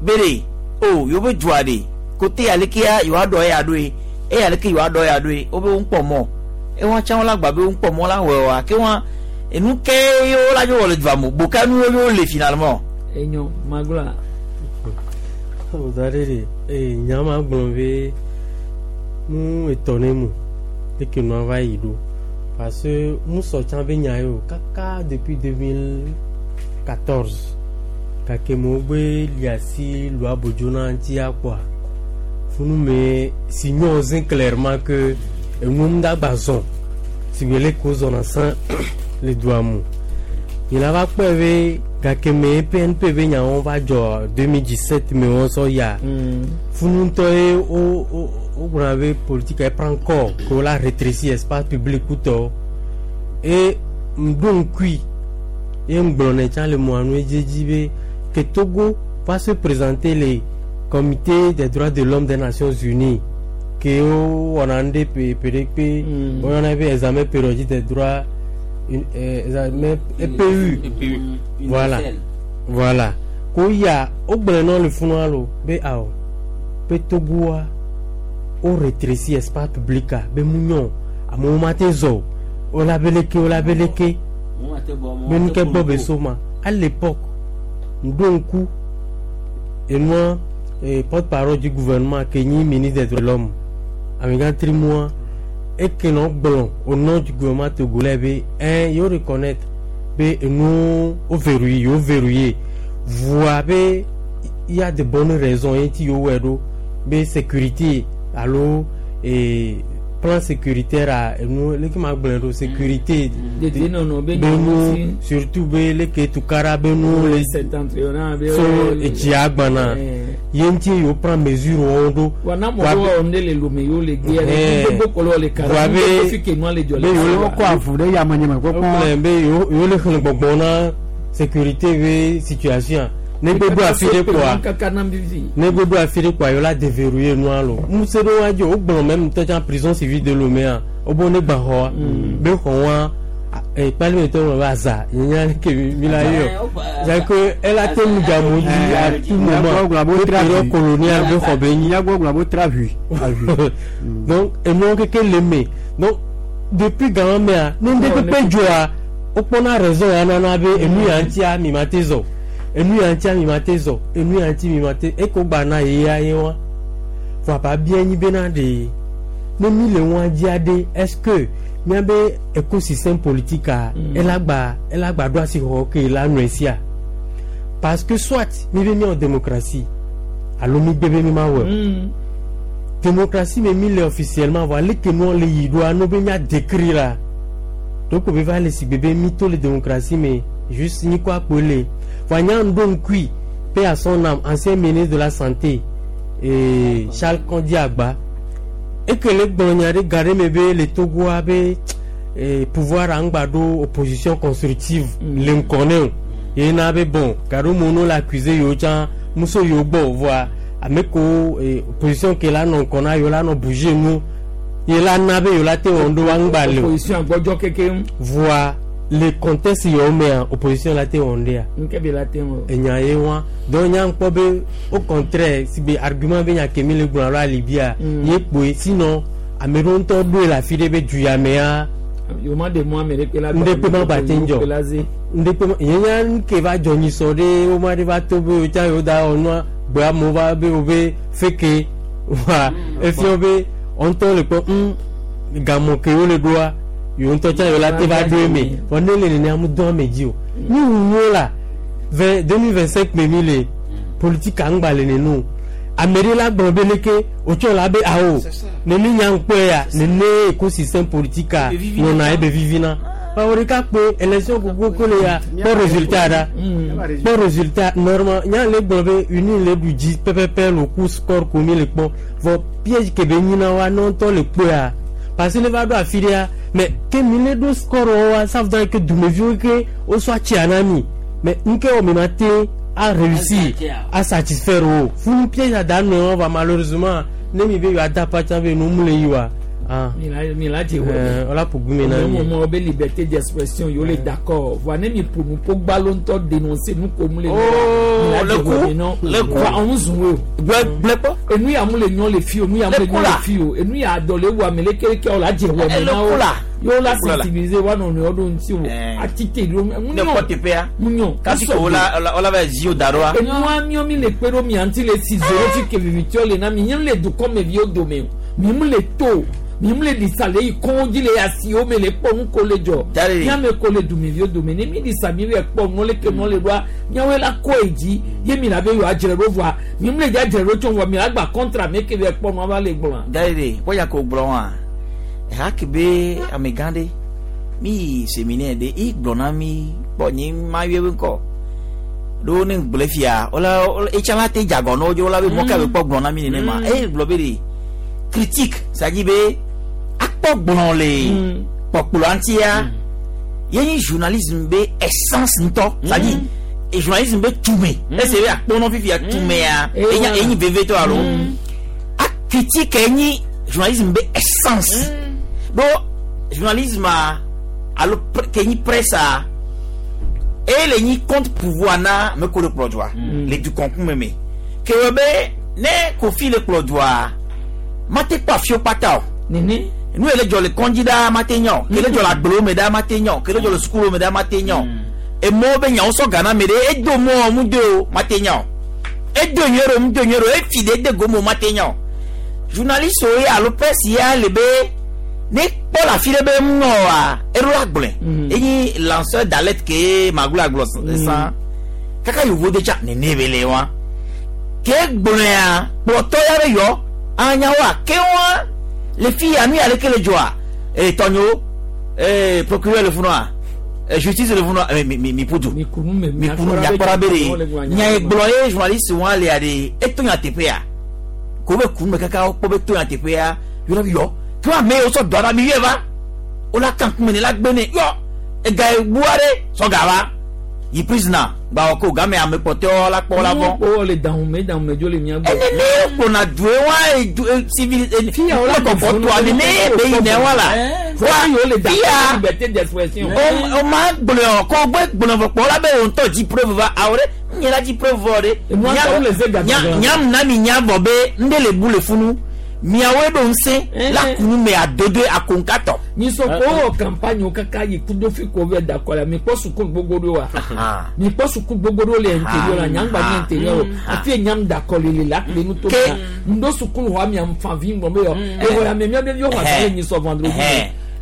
be ɖe o yewo be dua ɖe kote alekea yewoa ɖɔ eya ɖoe eya aleke yewoa ɖɔ eya ɖoe wo be wo ŋkpɔ mɔ ewa tsã wo la gba be wo ŋkpɔ mɔ la wɔe wa ke wa enu ke yewo la dzo wɔ le dua me boka nuwo yewo le finalement. Enyo magloa. Da ɖe ɖe ee nya ma gblɔ be nu etɔ̃ ne mu leke nua va yi ɖo parce que musɔ tsã be nya ye o kaka depuis deux mille quatorze gake me wogbe li asi lua bodzo na ŋuti akpɔa funu me si nyɔ zẽ clairement que enuwo ŋu dagba zɔn si be leke wozɔna sã le dua me mi la va kpɔe be gake me PNP be nyawo va dzɔ deux mille dix sept me wo sɔ ya funu ŋutɔ ye wo wo wogblɔna be politique elle prend corps que wola rétrécir espace public kutɔ et ŋɖo ŋkui Ye ŋgblɔ tsã le mɔa nu edzedzi be que Togo va se présenter le comité des droits de l'homme des Nations Unies ke wowɔna nu ɖe ƒe ƒe ɖe kpe woyɔna be examen périodique des droits euh, examen E P U, voilà voilà ko ya wogblɔ nɔ le funua lo be awɔ be Togoa wo rétréci espace public a be mu nyɔ amewo ma te zɔ o wola be leke wola be leke be nu ke gbɔ be so ma. À l'époque ŋɖo ŋku enua eh, porte-parole du gouvernement ke nyi ministre des droits de l'homme amegã trimua eke nɔ gblɔ au nom du gouvernement togolais be un yewo reconnaître be enuwo wo verrouillé yewo verrouillé voa be il y a de bonnes raisons ye ŋuti yewo wɔe ɖo be sécurité alo eh, plan sécuritaire a enu leke ma gblɔe ɖo sécurité Dedienɔnɔ be be nu surtout be leke tukara be nu le septentrional be so etsia gbana ye ŋuti yewo prend mesure wɔwo ɖo. Wa na mɔ ɖewo wɔm ɖe le Lome yewo le gbea Eh. ɖe gbogbo kɔlɔ le kara Voa be gbogbo fi ke nua le dzɔ be le yewo wa. Kɔ avu ɖe yame nye me kpɔkpɔ. Wogblɔe be yewo yewo le xlẽ gbɔgbɔ na sécurité be situation ne gbogbo afi ɖe kɔa kaka na vivi. Ne gbogbo afi ɖe kɔa yewo la déverrouiller nua lo ŋusẽ ɖewo wa dzi wogblɔ même ŋutɔ tsã prison civile de Lomé wobo ne gba xɔa be xɔ wa kpalimetɔ ŋlɔ be aza yenya ke mi la yɔ c'est que elle te nu gamu dzi à tout moment be période coloniale be xɔ be nyi. Nyagbɔgblɔ bo tra hui. Donc enuwo keke le me donc depuis gama mea ne ŋɖe kpekpe dzɔa wokpɔna raison ya nana be enu ya ŋutia mi ma te zɔ enu ya ŋutia mi ma te zɔ enu ya ŋuti mi ma te eko gba na ye ya ye wa vɔ aba bia nyi bena ɖe ne mi le ŋua dzia ɖe est ce que miabe écosystème politique a ela gba ela gba ɖo asi xɔ ke la nɔe sia parce que soit mi be miawɔ démocratie alo mi gbe be mi ma wɔ o démocratie me mi le officiellement vɔ aleke nua le yi ɖoa no be mia décrire la donc be va le si gbe be mi to le démocratie me juste nyikɔ akpo le vɔ nya ŋɖo ŋkui paix à son âme ancien ministre de la santé et Charles Kondi Agba eke le gblɔ nya ɖe ga ɖe me be le Togoa be eh, pouvoir aŋgba ɖo opposition constructive le ŋkɔ ne o ye na be bon gaɖo mo no le accusé yewo tsã muso yewo gbɔ voa ame kewo eh, opposition ke la nɔ ŋkɔ na yewo la nɔ bouger nu ye la na be yewo la te wɔn ɖo aŋgba le o opposition agbɔdzɔ keke ŋu. voa le contexte yewo mea opposition la te wɔn ɖea nke bi la te wɔ. enya ye wa donc nya ŋkpɔ be au contraire si be argument be nya ke mi le gblɔ alo alibia ye kpoe sinon ame ɖewo ŋutɔ ɖoe le afi ɖe be du ya mea yewo ma de mɔ ame ɖe kpe la. ŋɖekpe ma gba te ŋdzɔ la ze. ŋɖekpe ma ye nya nu ke va dzɔ nyisɔ ɖe wo ma ɖe va to be wo tsã yewo da wɔ nua gbe amewo va be wo be feke wa efia be wo ŋutɔ le kpɔ ŋ gamɔ ke wo le ɖoa yewo ŋutɔ tsã yewo la te va ɖo eme vɔ ne le nene amu dɔn ame dzi o ni wuwo la vingt deux mille vingt cinq me mi le politique aŋgba le nenu ame ɖe la gblɔ be leke wotsɔ la be awo nene nya ŋkpɔe ya nene écosystème politique a nɔna ebe vivina bawo ɖeka kpe élection gbogbo le ya kpɔ résultat ɖa kpɔ résultat normal nya le gblɔ be uni le ɖu dzi pɛpɛpɛ le ku score ko mi le kpɔ vɔ piège ke be nyina wa ne ŋutɔ le kpɔea parce que ne va ɖo afi ɖea mais ke mi le ɖo score wa ça veut dire que dumeviwo ke wosɔ atsia na mi mais nke wɔ mi ma te a réussir a satisfaire o funu piège a da nɔ va malheureusement ne mi be yewoa da patsa be nu mu le yi wa ah mi la mi la dze wɔ. ɛɛ wala ƒo gume na mi. Mo mo be liberté d'expression yo le d'accord voa ne mi ƒo nu ko gbalo ŋutɔ dénoncer nu ko mu le. Oh, le coup, le coup. Voa ɔn zun o. Gblẽ kpɔ. Enu ya mu le nyɔ le fi o nu ya mu Le le coup nyɔ la. le fi o enu ya dɔ le wu ame le keleke o la dze wɔ Eh, me le na coup wo. la. Yo la Le coup la. sensibiliser wa nɔ nɔewo ɖo ŋuti o. Atite ɖo mu ne kpɔ nyɔ teƒea mu nyɔ. kasi ko wola wola va zi wo da ɖoa Enua miɔ mi le kpe ɖo mia ŋuti le si zoro fi ke vivitiɔ le na mi nye le dukɔmeviwo dome o mi mu le to o mi mu le ɖisa le yi kɔn dzi le asiwo me le kpɔ nu ko le dzɔ Dari. miame ko le dumeviwo dome ne mi ɖisa mi le kpɔ nu le ke nu le ɖoa miawoe la kɔ yi dzi ye mi la be yewoa dzre ɖo vɔa mi mu le dza dzre ɖo tso vɔa mi la gba kɔntra ame ke be kpɔ nua va le gblɔa. Dari de kpɔya ko gblɔ wa eha ke be amegã ɖe mi yi séminaire ɖe i gblɔ na mi kpɔ nye ma yɔ ebe ŋkɔ ɖo ne gblɔe fia wola wola etsa la te dzagɔ na wo dzo wola be mɔ ka be kpɔ gblɔ na mi nenema eye gblɔ be de critique c'est à dire be akpɔ gblɔ le kpɔkplɔa ŋutia Ye nyi journalisme be essence ŋutɔ. C'est-à-dire journalisme be tume. Ese be akpɔnɔ fifia tumea. Enya enyi veve tɔ alo. A critique enyi journalisme be essence. Do journalisme a alo ke nyi presse a e le nyi contre pouvoir na me ko le kplɔ dua. Le du concours meme. Ke wɔ be ne Kofi le kplɔ dua mate kpɔ afio kpata o. Nene. Nu ele dzɔ le kɔndzi ɖaa mate nya o. Kele dzɔ le agblewo me ɖaa mate nya o. Kele dzɔ le sukuwo me ɖaa mate nya o. Emɔwo be nyawo sɔ gana me ɖe edo mɔ mu de o mate nya o. Edo nyuie ɖo mu do nyuie ɖo efi ɖe ede gome o mate nya o. Journaliste wo ye alo presse ya le be ne kpɔ le afi ɖe be ŋu nɔ wa eɖo la gblɔe. Enyi lanceur d'alerte ke maglo agblɔ sã. Kaka yovo de tsa nene be le wa. Ke gblɔea kplɔtɔ ya be yɔ anyawoa ke wa le fi ya nu ya leke le dzɔa ee tɔnyo ee procureur le funua ee justice le funua ee mi mi mi ƒu du mi kunu miakpɔra be de nya ye gblɔ ye journaliste wa lea de eto nya teƒea ko be kunu me kaka wokpɔ be to nya teƒea yɔrɔ bi yɔ ke wa ame yiwo sɔ dɔ ɖa mi yɔe va wola kan kume ne la gbe ne yɔ ega ye bua ɖe sɔ ga va yi prisoner gbawɔ ko game ame kpɔtɔewo la kpɔ la vɔ. O le dahume dahume dzo le mia gbɔ. Enene kpɔna due wa edu civil kɔkɔ toa nene be yina wa la. Wa fia liberté d'expression. O ma gblɔ kɔ gbe gblɔ vɔ kpɔ la be o ŋutɔ dzi preuve va awɔ ɖe nye la dzi preuve vɔ ɖe. Nyam na mi nya vɔ be ŋɖe le bu le funu. Miawoe ɖo ŋusẽ la kunu me adodoe akonkatɔ. Nyisɔ ko wɔ campagne wo kaka yi kudo fi ko vɛ dakɔ la mi kpɔ suku gbogbo ɖo wa. Mi kpɔ suku gbogbo ɖo le intérieur la nyagba nye intérieur o afi ye nyam dakɔ le le la kple nuto ma ŋdo suku xɔ mi am fan vi ŋgɔ be yɔ exɔ ya me mia ɖeviwo xɔ asi le nyisɔ vendredi.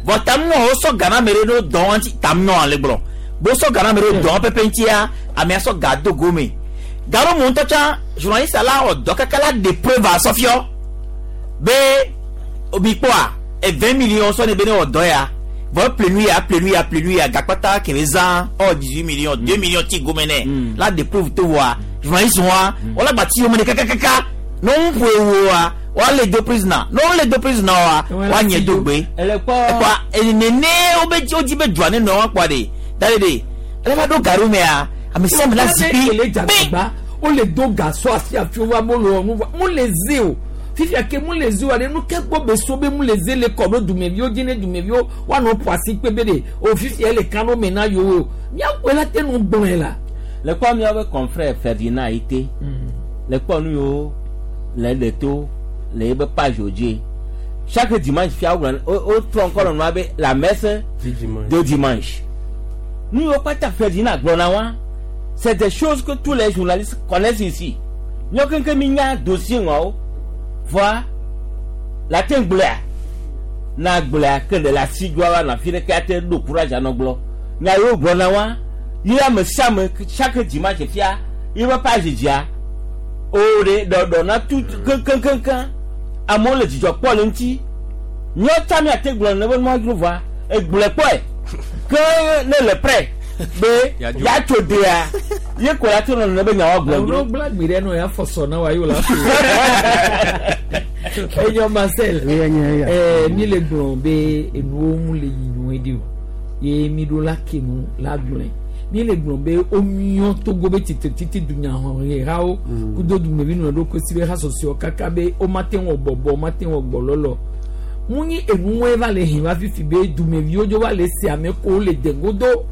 Bɔn tamunɔ wo sɔ gana me ɖe ɖo dɔn ŋuti tamunɔ ale gblɔ bo sɔ gana me ɖo dɔn pɛpɛ ŋutia amea sɔ ga do gome garo mu ŋutɔ tsã journaliste la wɔ dɔ kaka la de preuve asɔfiɔ. Be obi kpɔa e vingt millions sɔ ne be ne wɔ dɔ ya vɔ plenu ya plenu ya plenu ya gakpata kɛmɛ zã ɔ dix-huit millions deux millions ti gome nɛ la de preuve to wa journaliste wa wala gba ti yome ne kakakaka ne wo ƒo ewo wa wa le do prisoner ne wo le do prisoner wa wa nye do gbe ekpa nene wo be wo dzi be dua ne nɔ wa kpɔa de da de de ele va ɖo garu mea ame sia ame la zikpui pe o le do gasɔ afi afi wa mo le wɔ nu wa mo le ze o. Fifia ke mu le zi wa de nu ke gbɔ be so be mu le zi le kɔ ɖo dumeviwo dzi ne dumeviwo woanɔ ƒo asi kpe be de o fifia le kan ɖo me na yewo miawoe la te nu gblɔe la. Le kpɔ miawo be confrère Ferdinand Ayité le kpɔ nu yiwo le ɖe to le ebe page wo dzi chaque dimanche fia wogblɔ wo trɔ ŋkɔ le nua be la messe de dimanche nu yiwo kpata Ferdinand gblɔna wa c'est des choses que tous les journalistes connaissent ici miawo keŋkeŋ mi nya dossier ŋɔwo. Voa la te gblɔa na gblɔa ke le la si dzoa wa na fi ɖeke ate ɖo courage anɔ gblɔ nya yiwo gblɔna wa yi ame sia ame chaque dimanche fia yi be page dzia o ɖe ɖɔɖɔ na tu keŋkeŋkeŋ amewo le dzidzɔ kpɔ le ŋuti míawo tsa míate gblɔ ne be nua dzro voa egblɔe kpɔe ke ne le prêt be yatso dea ye ko la te nɔ ne be nyawo gblɔ dzro. Gblɔ gbe ɖe nɔ ya fɔsɔ na wa yi o la. Enyo Marcel eh mi le gblɔ be enuwo mu le yi nyuie ɖi o ye mi ɖo la ke nu la gblɔe mi le gblɔ be o miɔ Togo be titi titi dunyahehawo kudo dumevi nɔ ɖo kosi be hasɔsɔ kaka be o ma te wɔ bɔbɔ o ma te wɔ gbɔlɔlɔ mu nyi enuwoe va le hin va fifi be dumeviwo dzo va le se ame ko le dengodo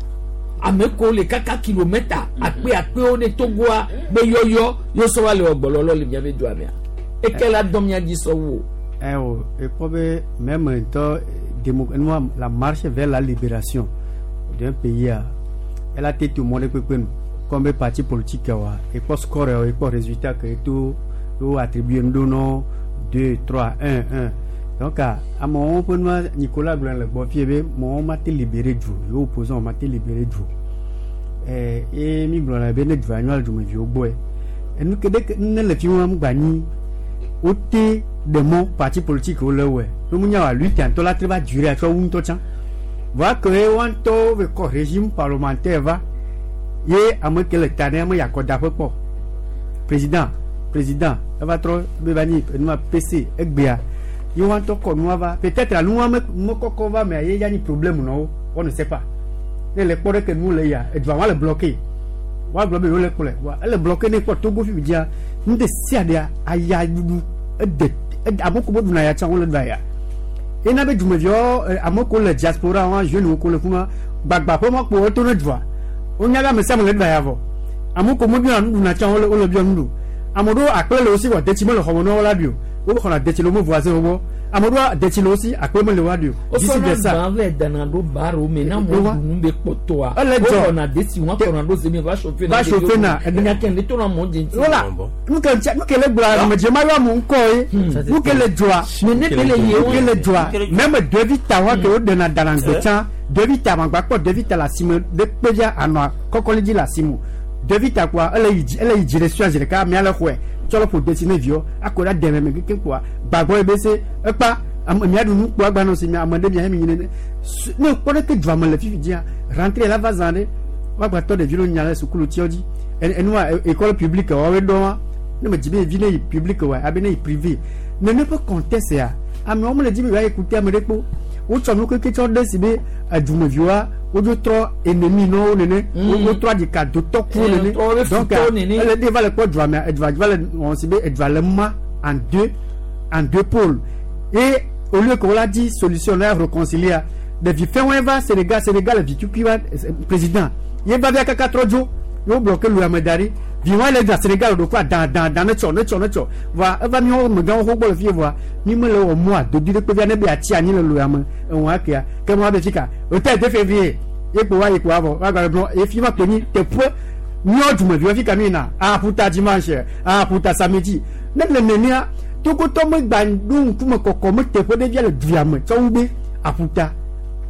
ame ko le kaka kilomètre akpe akpewo ne Togoa be yɔyɔ yosɔ va le wɔ gbɔlɔlɔ le miabe dua mea. Et quel a domia dit ça ou? Eh oh, et probablement même temps la marche vers la libération d'un pays elle a été tout le monde comme parti politique et pas score et pas résultat que tout tout attribué nous non deux trois un un donc à mon pour nous Nicolas Blanc le bon fier mon m'a été libéré du opposant m'a été libéré du eh et mi blanc la bene du annuel du me vieux boy et nous que dès que nous le film am gagné ôté de mon parti politique au le ouais nous nous lutte en la va durer à toi ou toi tiens voit que on to le régime parlementaire va ye amé que le tané amé yakoda peu pas président président va trop bebani nous P C egbea ye on to ko nous va peut-être nous amé mokoko va mais il y a ni problème non on ne sait pas Ne le kpɔ ɖe ke nu le ya edua wa le bloqué. Wa gblɔ be yewo le kplɔe. Wa ele bloqué ne kpɔ Togo fi dzia nu de sia ɖea aya ɖuɖu ede ame ko be ɖuna ya tsã wole ɖua ya. Ena be dumeviwo ame ko le diaspora wa jeune ko le fuma gbagba ƒe ma kpo eto ne dua. Wonya be ame sia ame le ɖua ya vɔ. Ame ko mebiɔ nuɖuna tsã wole wole biɔ nuɖu. Ame ɖewo akple le wo si vɔ detsi mele xɔme na wo la ɖui o. Wo xɔna detsi le wo me voisin wo gbɔ. Ame ɖewo detsi le wo si akple mele woa ɖui o. Disi de sa. Wosɔna gbã vɛ dana ɖo baro me na mo ɖunu be kpɔtɔa. Ele dzɔ. Wowɔna desi wɔn kɔna ɖo zemi va chauffer na. Va chauffer na. Nya ke ne to na mɔ dzi. Voilà. Nu ke nu ke le gblɔ ame dze ma yɔ amewo ŋkɔ ye. Nu ke le dzɔa. Mais ne be le ye Nu ke le dzɔa. Même ɖevi ta wa ke wo ɖena dana gbe tsã. Ɖevi ta magba kpɔ ɖevi ta le asime ɖe kpe via anɔa kɔkɔli dzi le asime. Ɖevi ta kɔa ele yi dzi ele yi dzi ɖe sua zi ɖeka amea le xɔe. Tsɔ le ƒo desi ne viwo akɔ ɖe deme me kekeŋ kpoa gbagbɔ ye be se ekpa ame mia ɖu nu kpoa gba si mia ame ɖe mia hemi nyine ne ne kpɔ ɖe ke dua me le fifi dzia rentrée la va zã ɖe woagba tɔ ɖevi ɖewo nya le sukulu tiɔ dzi enua école publique woawoe ɖɔ wa ne me dzi be vi ne yi publique wa abe ne yi privé nene ƒe contexte ya amewo mele dzi be yewoa écouter ame ɖe kpo wotsɔ nu keke tsɔ ɖe si be edumeviwoa wodzo trɔ ennemi na wo nene wotrɔ aɖika dotɔ ku nene donc ele de va le kpɔ dua me edua va le wɔn si be edua le ma en deux en deux pôles et au lieu que wola di solution na réconcilier ɖevi fɛn wɔn va Sénégal Sénégal vi tukui va président ye va via kaka trɔ dzo ye wo bloqué lu ame da ɖi vi wɔn le da Sénégal ɖo kura dan dan dan ne tsɔ ne tsɔ ne tsɔ va eva miawo megãwo xɔ gbɔ le fie vɔa mi mele wɔ mɔ adodo ɖe kpe via ne be atsi anyi le lu ame eŋua akea ke mo abe fika o tɛ de février ye kpo wa ye kpo avɔ wa gba gblɔ efi ma kpe nyi teƒe miawo dumeviwo fika mi yina aƒuta dimanche aƒuta samedi ne le nenea Togotɔ megba ɖo ŋkume kɔkɔ me teƒe ɖe via le dua me tsɔ wu be aƒuta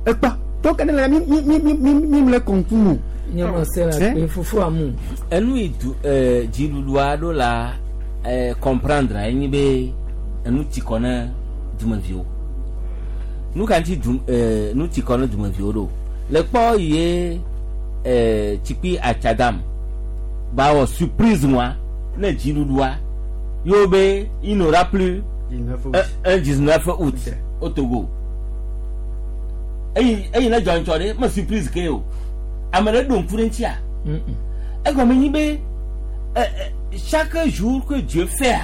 ekpa donc ne le mi mi mi mi mi mi le kɔnkum o. Nye ma se la kpe fufu amu. Enu yi du ɛɛ dziɖuɖua ɖo la ɛɛ comprendre enyi be enu ti kɔ ne dumeviwo. Nu ka ŋuti du ɛɛ nu ti kɔ ne dumeviwo ɖo. Le kpɔ ye ɛɛ tsikpi atsadam ba wɔ surprise wa ne dziɖuɖua yewo be il n'aura plus un dix-neuf août au Togo. Eyi eyi ne dzɔ ŋutsɔ ɖe me surprise ke o. Ame ɖe ɖo ŋku ɖe ŋutia. Egɔme nyi be ɛ ɛ chaque jour que Dieu fait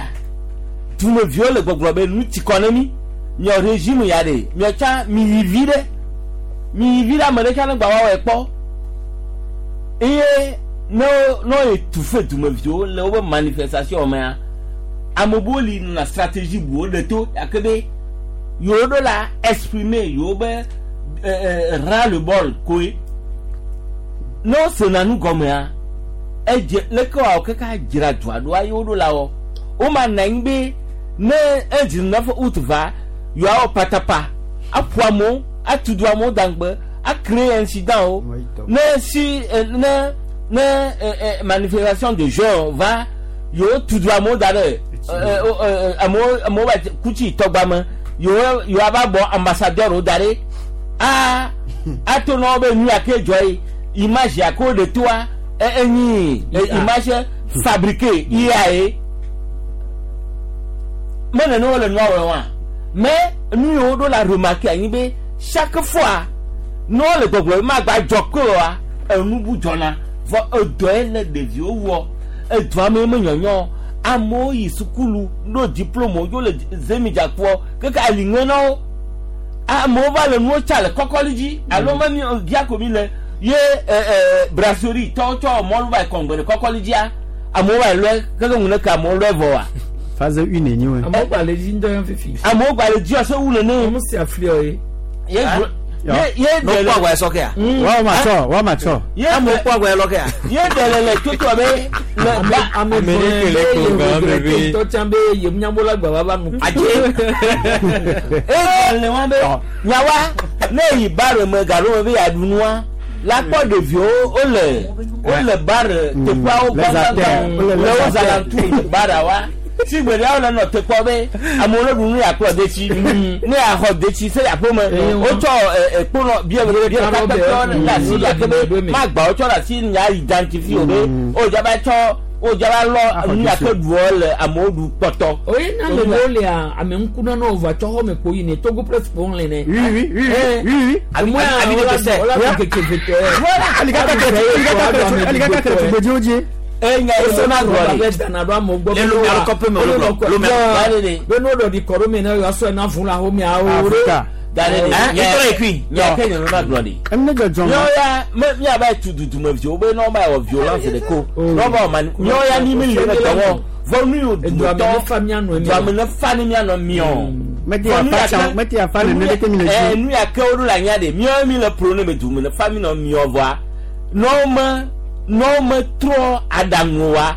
dumeviwo le gbɔgblɔ be nu ti kɔ ne mi miɔ régime ya ɖe miɔ tsa mi yi vi ɖe mi yi vi ɖe ame ɖe tsa ne gba wa wɔe kpɔ eye ne wo ne wo étouffe dumeviwo le wobe manifestation mea ame buwo li nɔna stratégie buwo ɖe to gake be yewo ɖo la exprimer yewo be ɛ ɛ ras le bol koe. Ne wosena nu gɔmea edze leke wòawɔ keke adzra dua ɖoa ye woɖo la wɔ woma nɔ anyi be ne un dix-neuf août va yewoawɔ patapa aƒo amewo atu du amewo daŋgbe acréer incident wo ne si ne ne ɛ ɛ manifestation de jeunes va yewo tu du amewo da ɖe ɛ ɛ amewo amewo va kutsi tɔgba me yewo yewoava bɔ ambassadeur wo da ɖe a ato na wo be nu ya ke dzɔ ye image ya ko de toa enyi image fabriquée I A ye mene ne wole nua wɔm wa mais nu yiwo ɖo la remarquer anyi be chaque fois ne wole gbɔgblɔ ma gba dzɔ ke wa enu bu dzɔna vɔ edɔe le ɖeviwo wɔ edua me me nyɔnyɔ amewo yi sukulu ɖo diplôme wo le zemidzakuɔ keke ali ŋe na wo amewo va le nuwo tsa le kɔkɔli dzi alo me mi diako mi le ye ɛ ɛ brasserie tɔwo tsɔ mɔlu va yi kɔngbɛ le kɔkɔli dzia amewo va yi lɔe keke ŋu ne ke amewo lɔe vɔ wa. Phase une enyi wɛ. Amewo gba le dzi ŋutɔ yan fifi. Amewo gba le dzi ɔsɛ wu nene. Amewo si afli ɔ ye. Ye ye ye No kpɔ agba sɔ kɛ ya. Wọ́n ma tsɔ wọ́n ma tsɔ. Ye Amewo kpɔ agba lɔ kɛ ya. Ye ɖe le toto be le ba ame Ame ɖe ke le ko gan me be tɔ tsã be yemunyambo la gba va va nu. Adze. Eye le wa be nyawa ne yi bare me galo me be yeaɖu nua la kpɔ ɖeviwo wole wole bare teƒeawo gbãgbãgbã le wo zalantu bara wa. Si gbe ɖeawo le nɔ te kpɔ be amewo ne ɖu nu yeakplɔ detsi ne yaxɔ detsi se aƒe me wotsɔ ɛ kponɔ bie bie ɖeka kpekpe ɖe asi gake be magba wotsɔ ɖe asi nya identifie o be o dzaba tsɔ O jaba lɔ nu ake ɖuɔ le amewo ɖu kpɔtɔ. Oye na me wo lea ame ŋku na no va tsɔ xɔ me kpo yi ne Togo presse kpo le ne. Oui oui oui oui oui. Abi abi de sɛ. Ola keke fetɔ. Voilà. Alikaka kɛrɛ alikaka kɛrɛ tugbedziwo dzi. Enya eso na na gblɔ gbɔ dana ɖo amewo gbɔ. Le Lomé alukɔƒe me wole gblɔ. Lomé. Be no ɖɔ ɖi kɔ ɖo me na yewoa sɔe na vu le aho miawo. Afrika. Gale de. Hein? Etɔ ekui. Nya ke nyɔnu na gblɔ de. Emi ne dzɔdzɔ Míawo ya me míava tu dudume viwo be ne woava wɔ violence ɖe ko. Ne woava wɔ mani míawo ya ni mi le ne dɔwɔ. Vɔ nu yi Eduame ne fa mianɔ mi. Duame ne fa ni mianɔ miɔ. Mete afa tsã mete afa le ne ɖeke mi le Ɛ dzi. nu ya ke woɖo le anya de míawo mi le pro ne me dume ne fa mi nɔ miɔ vɔa. Ne wo me ne wo me trɔ aɖaŋu wa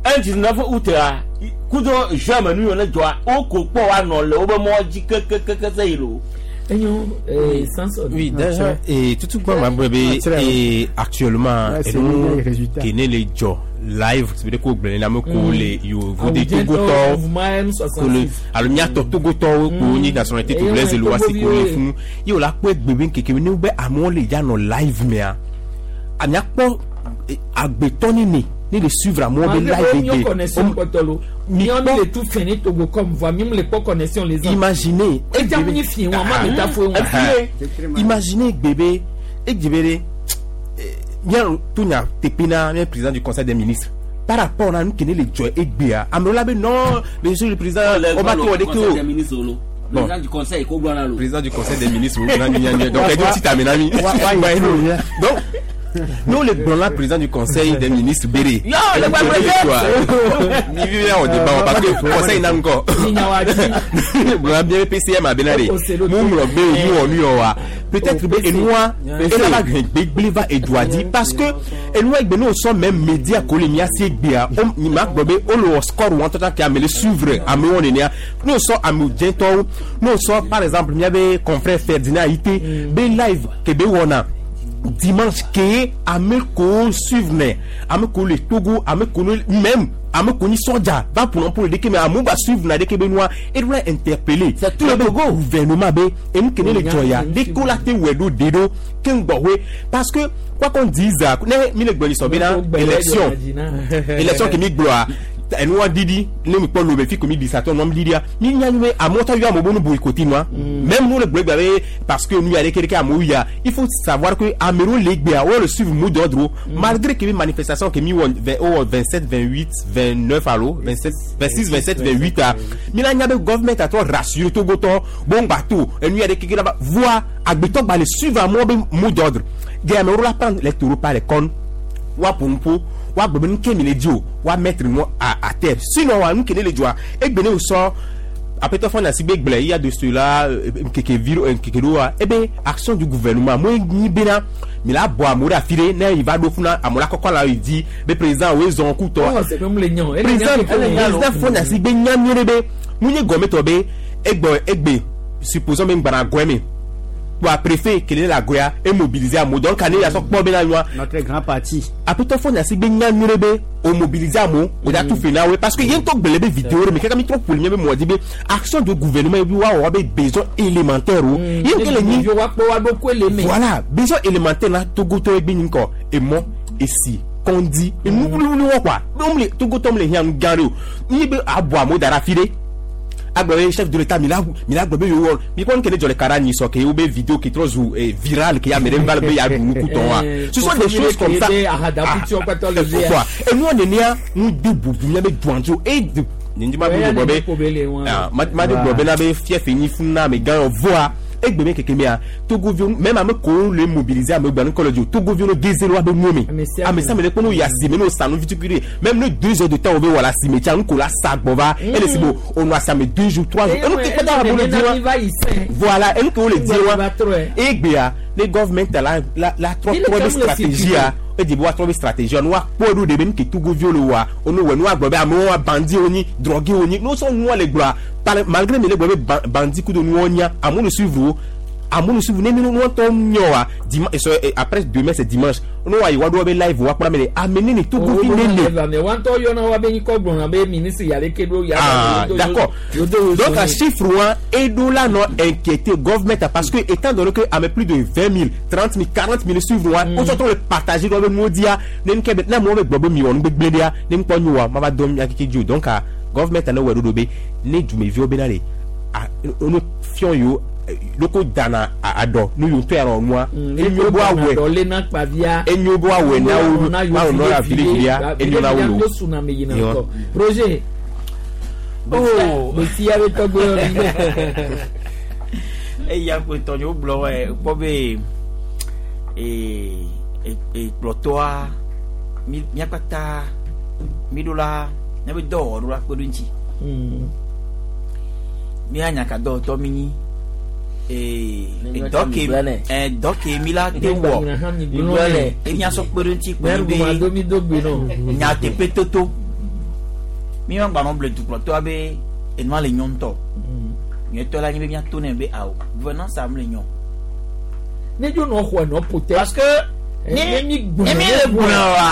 un dix-neuf août a kudo juin me nu yiwo ne dzɔa wo ko kpɔ wa nɔ le wobe mɔ dzi kekekeke se yi lo. Enyo eh Samson. Oui, déjà, et tout tout quoi, ma bébé, et actuellement, Ouais, et c'est nous, les résultats. qui n'est les jo live, c'est veut dire qu'on a me les yo, vous des Togo Mouvement M soixante-six. alo miatɔ togotɔwo ko nyi nationalité togolaise Eh, le wa si Togo ko le viwo. fún ye o la kpɔ egbe keke ne be amewo le ya nɔ live mea amiakpɔ agbetɔ nene ne le suivre amewo be Malgré live miɔ egbe connexion kpɔtɔ lo. Miɔ mi le tu fɛn ne Togo comme voa mi le kpɔ connexion les ans. Imaginez. Edza mi fi wɔn ma mi ta fo Ah. Imaginez bébé egbe ɖe mía to nya teƒe na mía président du conseil des ministres par rapport na nu ke ne le dzɔ egbea amewo la be non, monsieur le président, o ma to wɔ ɖeke o. Bon. Président du conseil ko gblɔ na lo. Président du conseil des ministres, donc ɛdi ti tame na mi. Wa- wa- wa- Donc nous le gblɔ na président du conseil des ministres bere. Yo, le gba président. Mi vi wɔ débat parce que conseil na ŋgɔ gblɔ bien P C M abena de mu ŋlɔ be mu wɔ nu yɔ wa peut-être be enua ena va hɛn gbegble va edua dzi parce que enua egbe n'o sɔ même média ko le miasi egbea o ma gblɔ be o le wɔ score wɔn tɔtɔ ke ame le suivre amewo nenea n'o sɔ ame dzɛtɔwo n'o sɔ par exemple miabe confrère Ferdinand Ayité be live ke be wɔna dimanche ke ame ko suivre nɛ ame ko le Togo ame ko ne même ame ko ni sɔdza va pour pour le deke mais amewo va suivre na deke be nua eɖo la interpeller C'est tout le Togo. Gouvernement be enu ke ne le dzɔ ya deke la te wɔ ɖo de ɖo ke ŋgbɔ hoe parce que quoi qu'on dise ne mi le gblɔ sɔ bena élection élection ke mi gblɔa enua didi ne mi kpɔ lome fi ko mi di satɔ nua didia mi nya nyuie amewo tɔ yɔ amewo be nu boycotté nua même nous le gblɔ gba be parce que nu ya ɖeke ɖeke amewo ya il faut savoir que amewo le gbea wo le suivre mot d'ordre malgré que mi manifestation ke mi wɔ vingt o wɔ vingt sept, vingt huit, vingt neuf alo vingt sept, vingt six, vingt sept, vingt huit a mi la nya be government atɔ rassurer togotɔ bon gba to enu ya ɖeke ɖeke la va voa agbetɔ gba le suivre amewo be mot d'ordre gɛ amewo la prendre les taureaux par les cornes wa ƒo wa gblɔ be nu ke mi le di o wa mettre nu à à terre sinon wa nu ke ne le dzɔa egbe ne o sɔ apɛtɔ fɔ nasi be gblẽ il y a de cela nkeke vi nkeke ɖoa ebe action du gouvernement mo nyi bena mi la bɔ amewo ɖe afi ɖe ne yi va ɖo funa amewo la kɔkɔ la yi di be président wo zɔn kutɔ président président fɔ nasi be nya nyuie ɖe be mu nye gɔmɛtɔ be egbɔ egbe supposons be ŋgbana gɔɛ me wa préfet kele la goya e mobiliser amewo donc ane yasɔ kpɔ bena nyoa. Notre grand parti. Apɛtɔ fɔ nasi be nya nyuie ɖe be o mobiliser amewo o da tu fe na wo parce que yen tɔ gbele be vidéo ɖe me kaka mi trɔ ƒo le mía be mɔ di be action de gouvernement bi wa wɔ be besoin élémentaire o yen ke le nyi voilà besoin élémentaire na togotɔ egbe nyi kɔ emɔ esi kɔndi enu wuliwuli wɔ quoi be le togotɔ mu le hiã nu gã ɖe o nyi be abɔ amewo da ɖe afi ɖe agblɔ be chef de l'état mi la mi la gblɔ be yewo wɔ mi kpɔ nu ke ne dzɔ le kara nyi sɔ ke wo be vidéo ke trɔ zu eh, viral ke ame ɖe va le be ya ɖu nukutɔ wa ce sont des choses comme ça quoi enuɔ nenea nu de bubu mía be duandzo e de nindi ma de gblɔ be ma ma de gblɔ bena be fiɛfɛ nyi funu na ame gã yɔ voa egbe me keke mea togoviwo même ame kowo le mobiliser ame gbanu kɔlɔ dzi o togoviwo no geze lo abe nuwo me ame sia ame le kpɔ no yi asime no sa nu vitukui ɖe même ne deux heures de temps wo be wɔ le asime tsa nu ko la sa gbɔ va ele si bo o nɔ asime deux jours, trois jours enu ke kpɛtɛ wo le di wa voilà enu ke wo le di wa egbea ne government la la la trɔ trɔ be stratégie a edi be woatrɔ be stratégie nu woakpɔ ɖo ɖe be nu ke togoviwo le wɔa wonu wɔ nu woagblɔ be amewo wa bandi wo nyi drogué wo nyi n'o sɔ nua le gblɔa malgré mi le gblɔ be bandi kudo nuwo nya amewo le suivre wo Amewo suivre ne mi nu ŋutɔ nyɔ wa dimanche après demain c'est dimanche no wa yi wa do be live wa kpla me le ame ne ne togovi ne ne. Mais wa ŋutɔ yɔna wa be nyikɔ gblɔna be ministre yale ke ɖo ya. Ah d'accord donc a chiffre wa eɖo la nɔ inquiété government parce que étant donné que ame plus de vingt mille trente mille quarante mille suivre wa o sɔtɔ le partager dɔ be nuwo dia ne nu ke be ne amewo be gblɔ be mi wɔ nu gbegblẽ ɖia ne nukpɔ nyo wa ma va dɔn mia keke dzi o donc a government ne wɔ ɖoɖo be ne dumeviwo be na le a nu fiɔ yiwo loko dana aɖɔ nu yiwo ŋutɔ ya nɔ nua enyo bo awɔe enyo bo awɔe na wo na wo nɔ la vile enyo na wo lo Roger oh besia be tɔgbe eya ko tɔnyewo gblɔ wɔ kpɔ be ee ekplɔtɔa mi miakpata mi ɖo la miabe dɔwɔwɔ ɖo la kpe ɖo ŋuti mia nyaka dɔwɔtɔ mi nyi ee dɔ ke ɛ dɔ ke mi la te wɔ emiasɔ kpe ɖo ŋuti kpe be nyateƒe toto mi ma gbanɔ ble dukplɔtɔa be enua le nyɔ ŋutɔ nyɔtɔ la nyi be miato nɛ be awo gouvernance am le nyɔ. Ne dzo nɔ xɔ nɔ potɛ. Parce que ni mi le gblɔ wa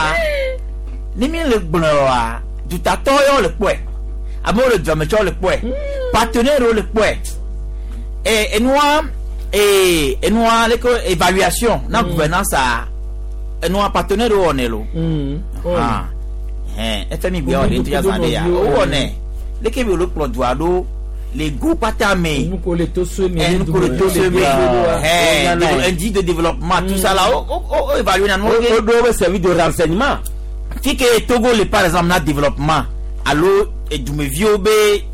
ni mi le gblɔ wa dutatɔ yɔ le kpɔe amewo le duametsɔ le kpɔe partenaire wo le kpɔe e enua e enua le ko évaluation na gouvernance a enua partenaire wo wɔnɛ lo ah hɛn efe mi gbɛ wɔ de ŋutɔ zan de ya wo wɔnɛ leke bi wòle kplɔ dua ɖo le go kpata me nuko le to so me nuko le to so me hɛn indice de développement tout ça là o o o évaluer na o do be service de renseignement fi ke Togo le par exemple na développement alo edumeviwo be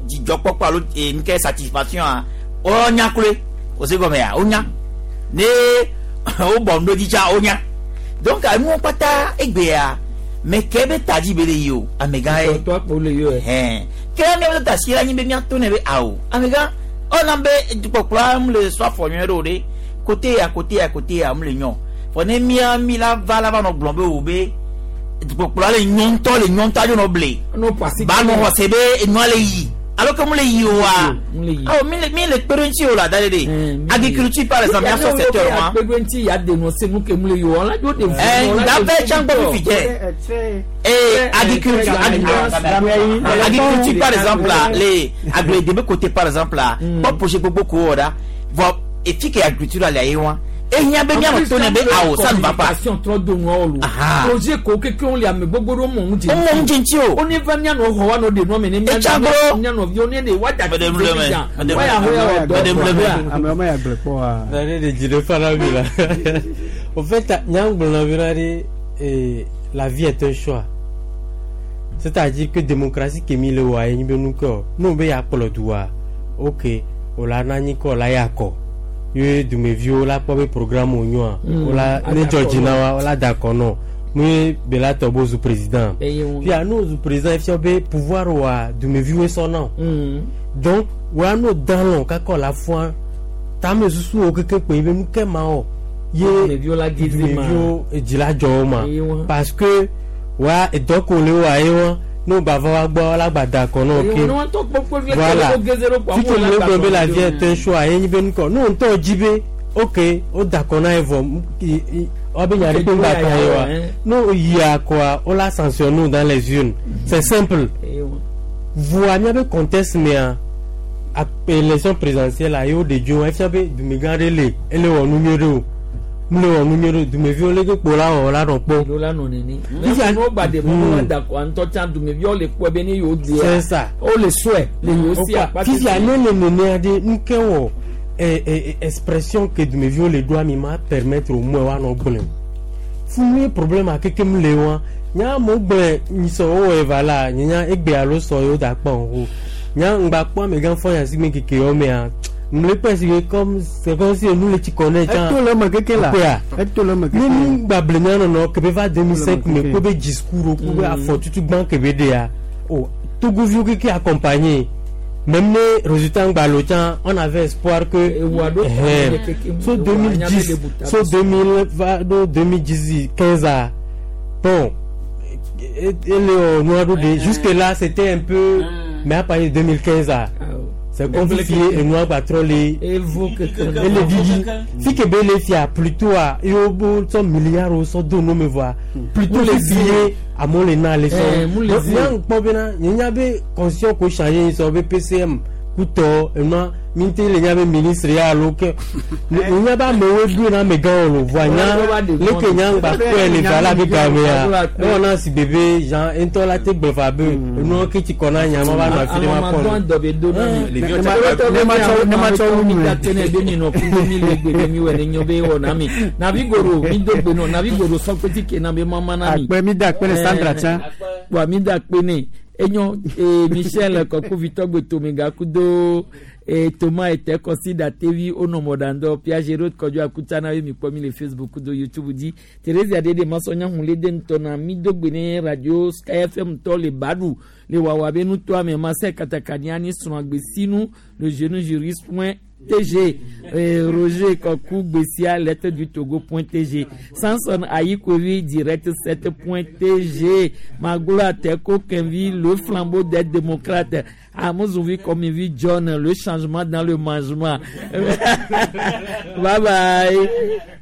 dzidzɔkpɔkpɔ alo nke satisfaction a wonya kloe o se gɔme ya wonya ne wo bɔ nu ɖo dzi tsa wonya donc enuwo kpata egbea me ke be ta dzi be le yi o amegã ye hɛn ke miabe ta si la nyi be miato ne be awo amegã ɔna be dukpɔkplɔa mu le sɔ afɔ nyuie ɖe o ɖe kote ya kote ya kote ya mu le nyɔ fɔ ne mia mi la va la va nɔ gblɔm be o be dukpɔkplɔa le nyɔ ŋutɔ le nyɔ ŋutɔ adzo nɔ ble ba nɔ xɔse be enua le yi alo ke mu le yi oa awo mi le mi le kpe ɖe ŋuti o la da ɖe ɖe agriculture par exemple miasɔ secteur ma kpe ɖe ŋuti ya dénoncer nu ke mu le yi o la dzo de ɛɛ dafe tsã gbɔ fifi dze ee agriculture agriculture par exemple la le agro de côté par exemple la kpɔ projet gbogbo ko wɔ ɖa vɔ efi ke agriculture le ayi wa ehiã be mianɔ to ne be awo ça ne va pas. Projet ko keke wo le ame gbogbo ɖo mɔ ŋu dze. O mɔ ŋu dze ŋuti o. O ne va mianɔ xɔ wa nɔ de nua me ne mianɔ mianɔ viwo ne de wa da ti fi dza wa ya xɔ ya wa dɔ dɔ ya. Ame wɔme ya gblẽ kpɔ wa. Nane de dzi ɖe fa na mi la. Au fait nyagblɔna vi la ɖe la vie est un choix. C'est-à-dire que démocratie ke mi le wɔa ye nyi be nu ke o n'o be ya kplɔ du wa ok o la na nyi kɔ o la ya kɔ. Ye dumeviwo la kpɔ be programme wo nyoa wola ne dzɔ dzi na wa wola da akɔ nɔ mu ye bela tɔ bo zu président fia n'o zu président fia be pouvoir wa dumeviwoe sɔ na o donc wa n'o dan lɔ kaka la fua tame susu wo keke kpe be nu ke ma wɔ ye dumeviwo dzi la dzɔ wo ma parce que wa edɔ ko le wa ye wa n'o gba va wa gbɔ la gba da akɔ nɔ ke voilà fike le gblɔ be la vie est un choix ye nyi be nukɔ n'o ŋutɔ dzi be ok o da akɔ na ye vɔ wa be nya ɖe kpe ŋgba ta ye wa n'o yi akɔa o la sanctionne nous dans les urnes c'est simple voa miabe contexte mea élection présidentielle la ye o de dzo efia be dumegã ɖe le ele wɔ nu nyuie ɖe o mle wɔ nu nyuie ɖe dumeviwo leke kpo la wɔ la nɔ kpɔ. Lo la nɔ nene. Mɛ n'o gba de mɔ la da kɔ ŋutɔ tsã dumeviwo le kpɔ be ne yewo di C'est ça. O le sɔe le yewo si akpa. Fifia ne le nenea ɖe nu ke wɔ ɛ ɛ expression ke dumeviwo le ɖoa mi ma permettre au moins woanɔ gblẽ o. Funu ye problème a kekem le wa nya amewo gblẽ nyisɔ wowɔ eva la nye nya egbe alo sɔ yewo da kpɔ o nya ŋgba kpɔ amegã fɔ nya si me keke yɔ mea mle kpɛ si ke comme c'est comme si enu le tsi kɔ nɛ tsã eto le eme keke la kpea eto le eme keke ne nu gba ble mia nɔnɔ kebe va deux mille cinq me kpe be discours wo kpe be afɔ tutu gbã kebe ɖea o togoviwo keke accompagné même ne résultat ŋgba lo tsã on avait espoir que ɛhɛn so deux mille dix so deux mille va ɖo deux mille dix quinze a bon ele wɔ nua ɖo de jusque là c'était un peu mais à partir de deux mille quinze a C'est comme si enua gba trɔ le evo keke ele vivi fi ke be le fia plutôt a yewo bo sɔ milliard wo sɔ do nu me voa plutôt le fi ye amewo le na le Eh, sɔ mu le donc zi. nya kpɔ bena nye nya be constitution ko changer sɔ be PCM kutɔ enua mi te le nya be ministre ya alo ke nye nya be amewo ɖo na amegãwo lo voa nya leke nya ŋgba kpɔe le va la be gamea ewɔ na si bebe Jean ŋutɔ la te gblɔ fa be enua ke tsi kɔ na nya ma va nɔ afi ɖe ma kpɔ Amamadɔn dɔ be do na mi. Ne- Ne ne- ma ne ma tsɔ- ne ma tsɔ wu mi nu. da tene be mi nɔ kudo mi le gbe be mi wɔ ne nyɔ be wɔ na mi. Navi goro mi do gbe nɔ navi goro sɔkpeti ke na be mama na mi. Akpe, mi da akpe ne Sandra tsã. Wa mi da akpe ne enyo ee Michel kɔkuvitɔ gbe tomega kudo ee Thomas ete kɔsi tevi onɔmɔdandɔ Piaget kɔdzo akuta na ye mi kpɔ mi le Facebook kudo YouTube dzi Theresa dede masɔnya hun le de ŋutɔ na mi do gbe ne radio Sky FM tɔ le Badu le wawa be nutoa me masɛ katakania ni srɔ̃agbesinu le jeune juriste point TG eh, Roger Kokou Bessia lettre du Togo point TG Samson Ayikovi direct sept point TG Magoula Teko Kenvi le flambeau des démocrates Amozouvi Komivi John le changement dans le mangement. Bye bye.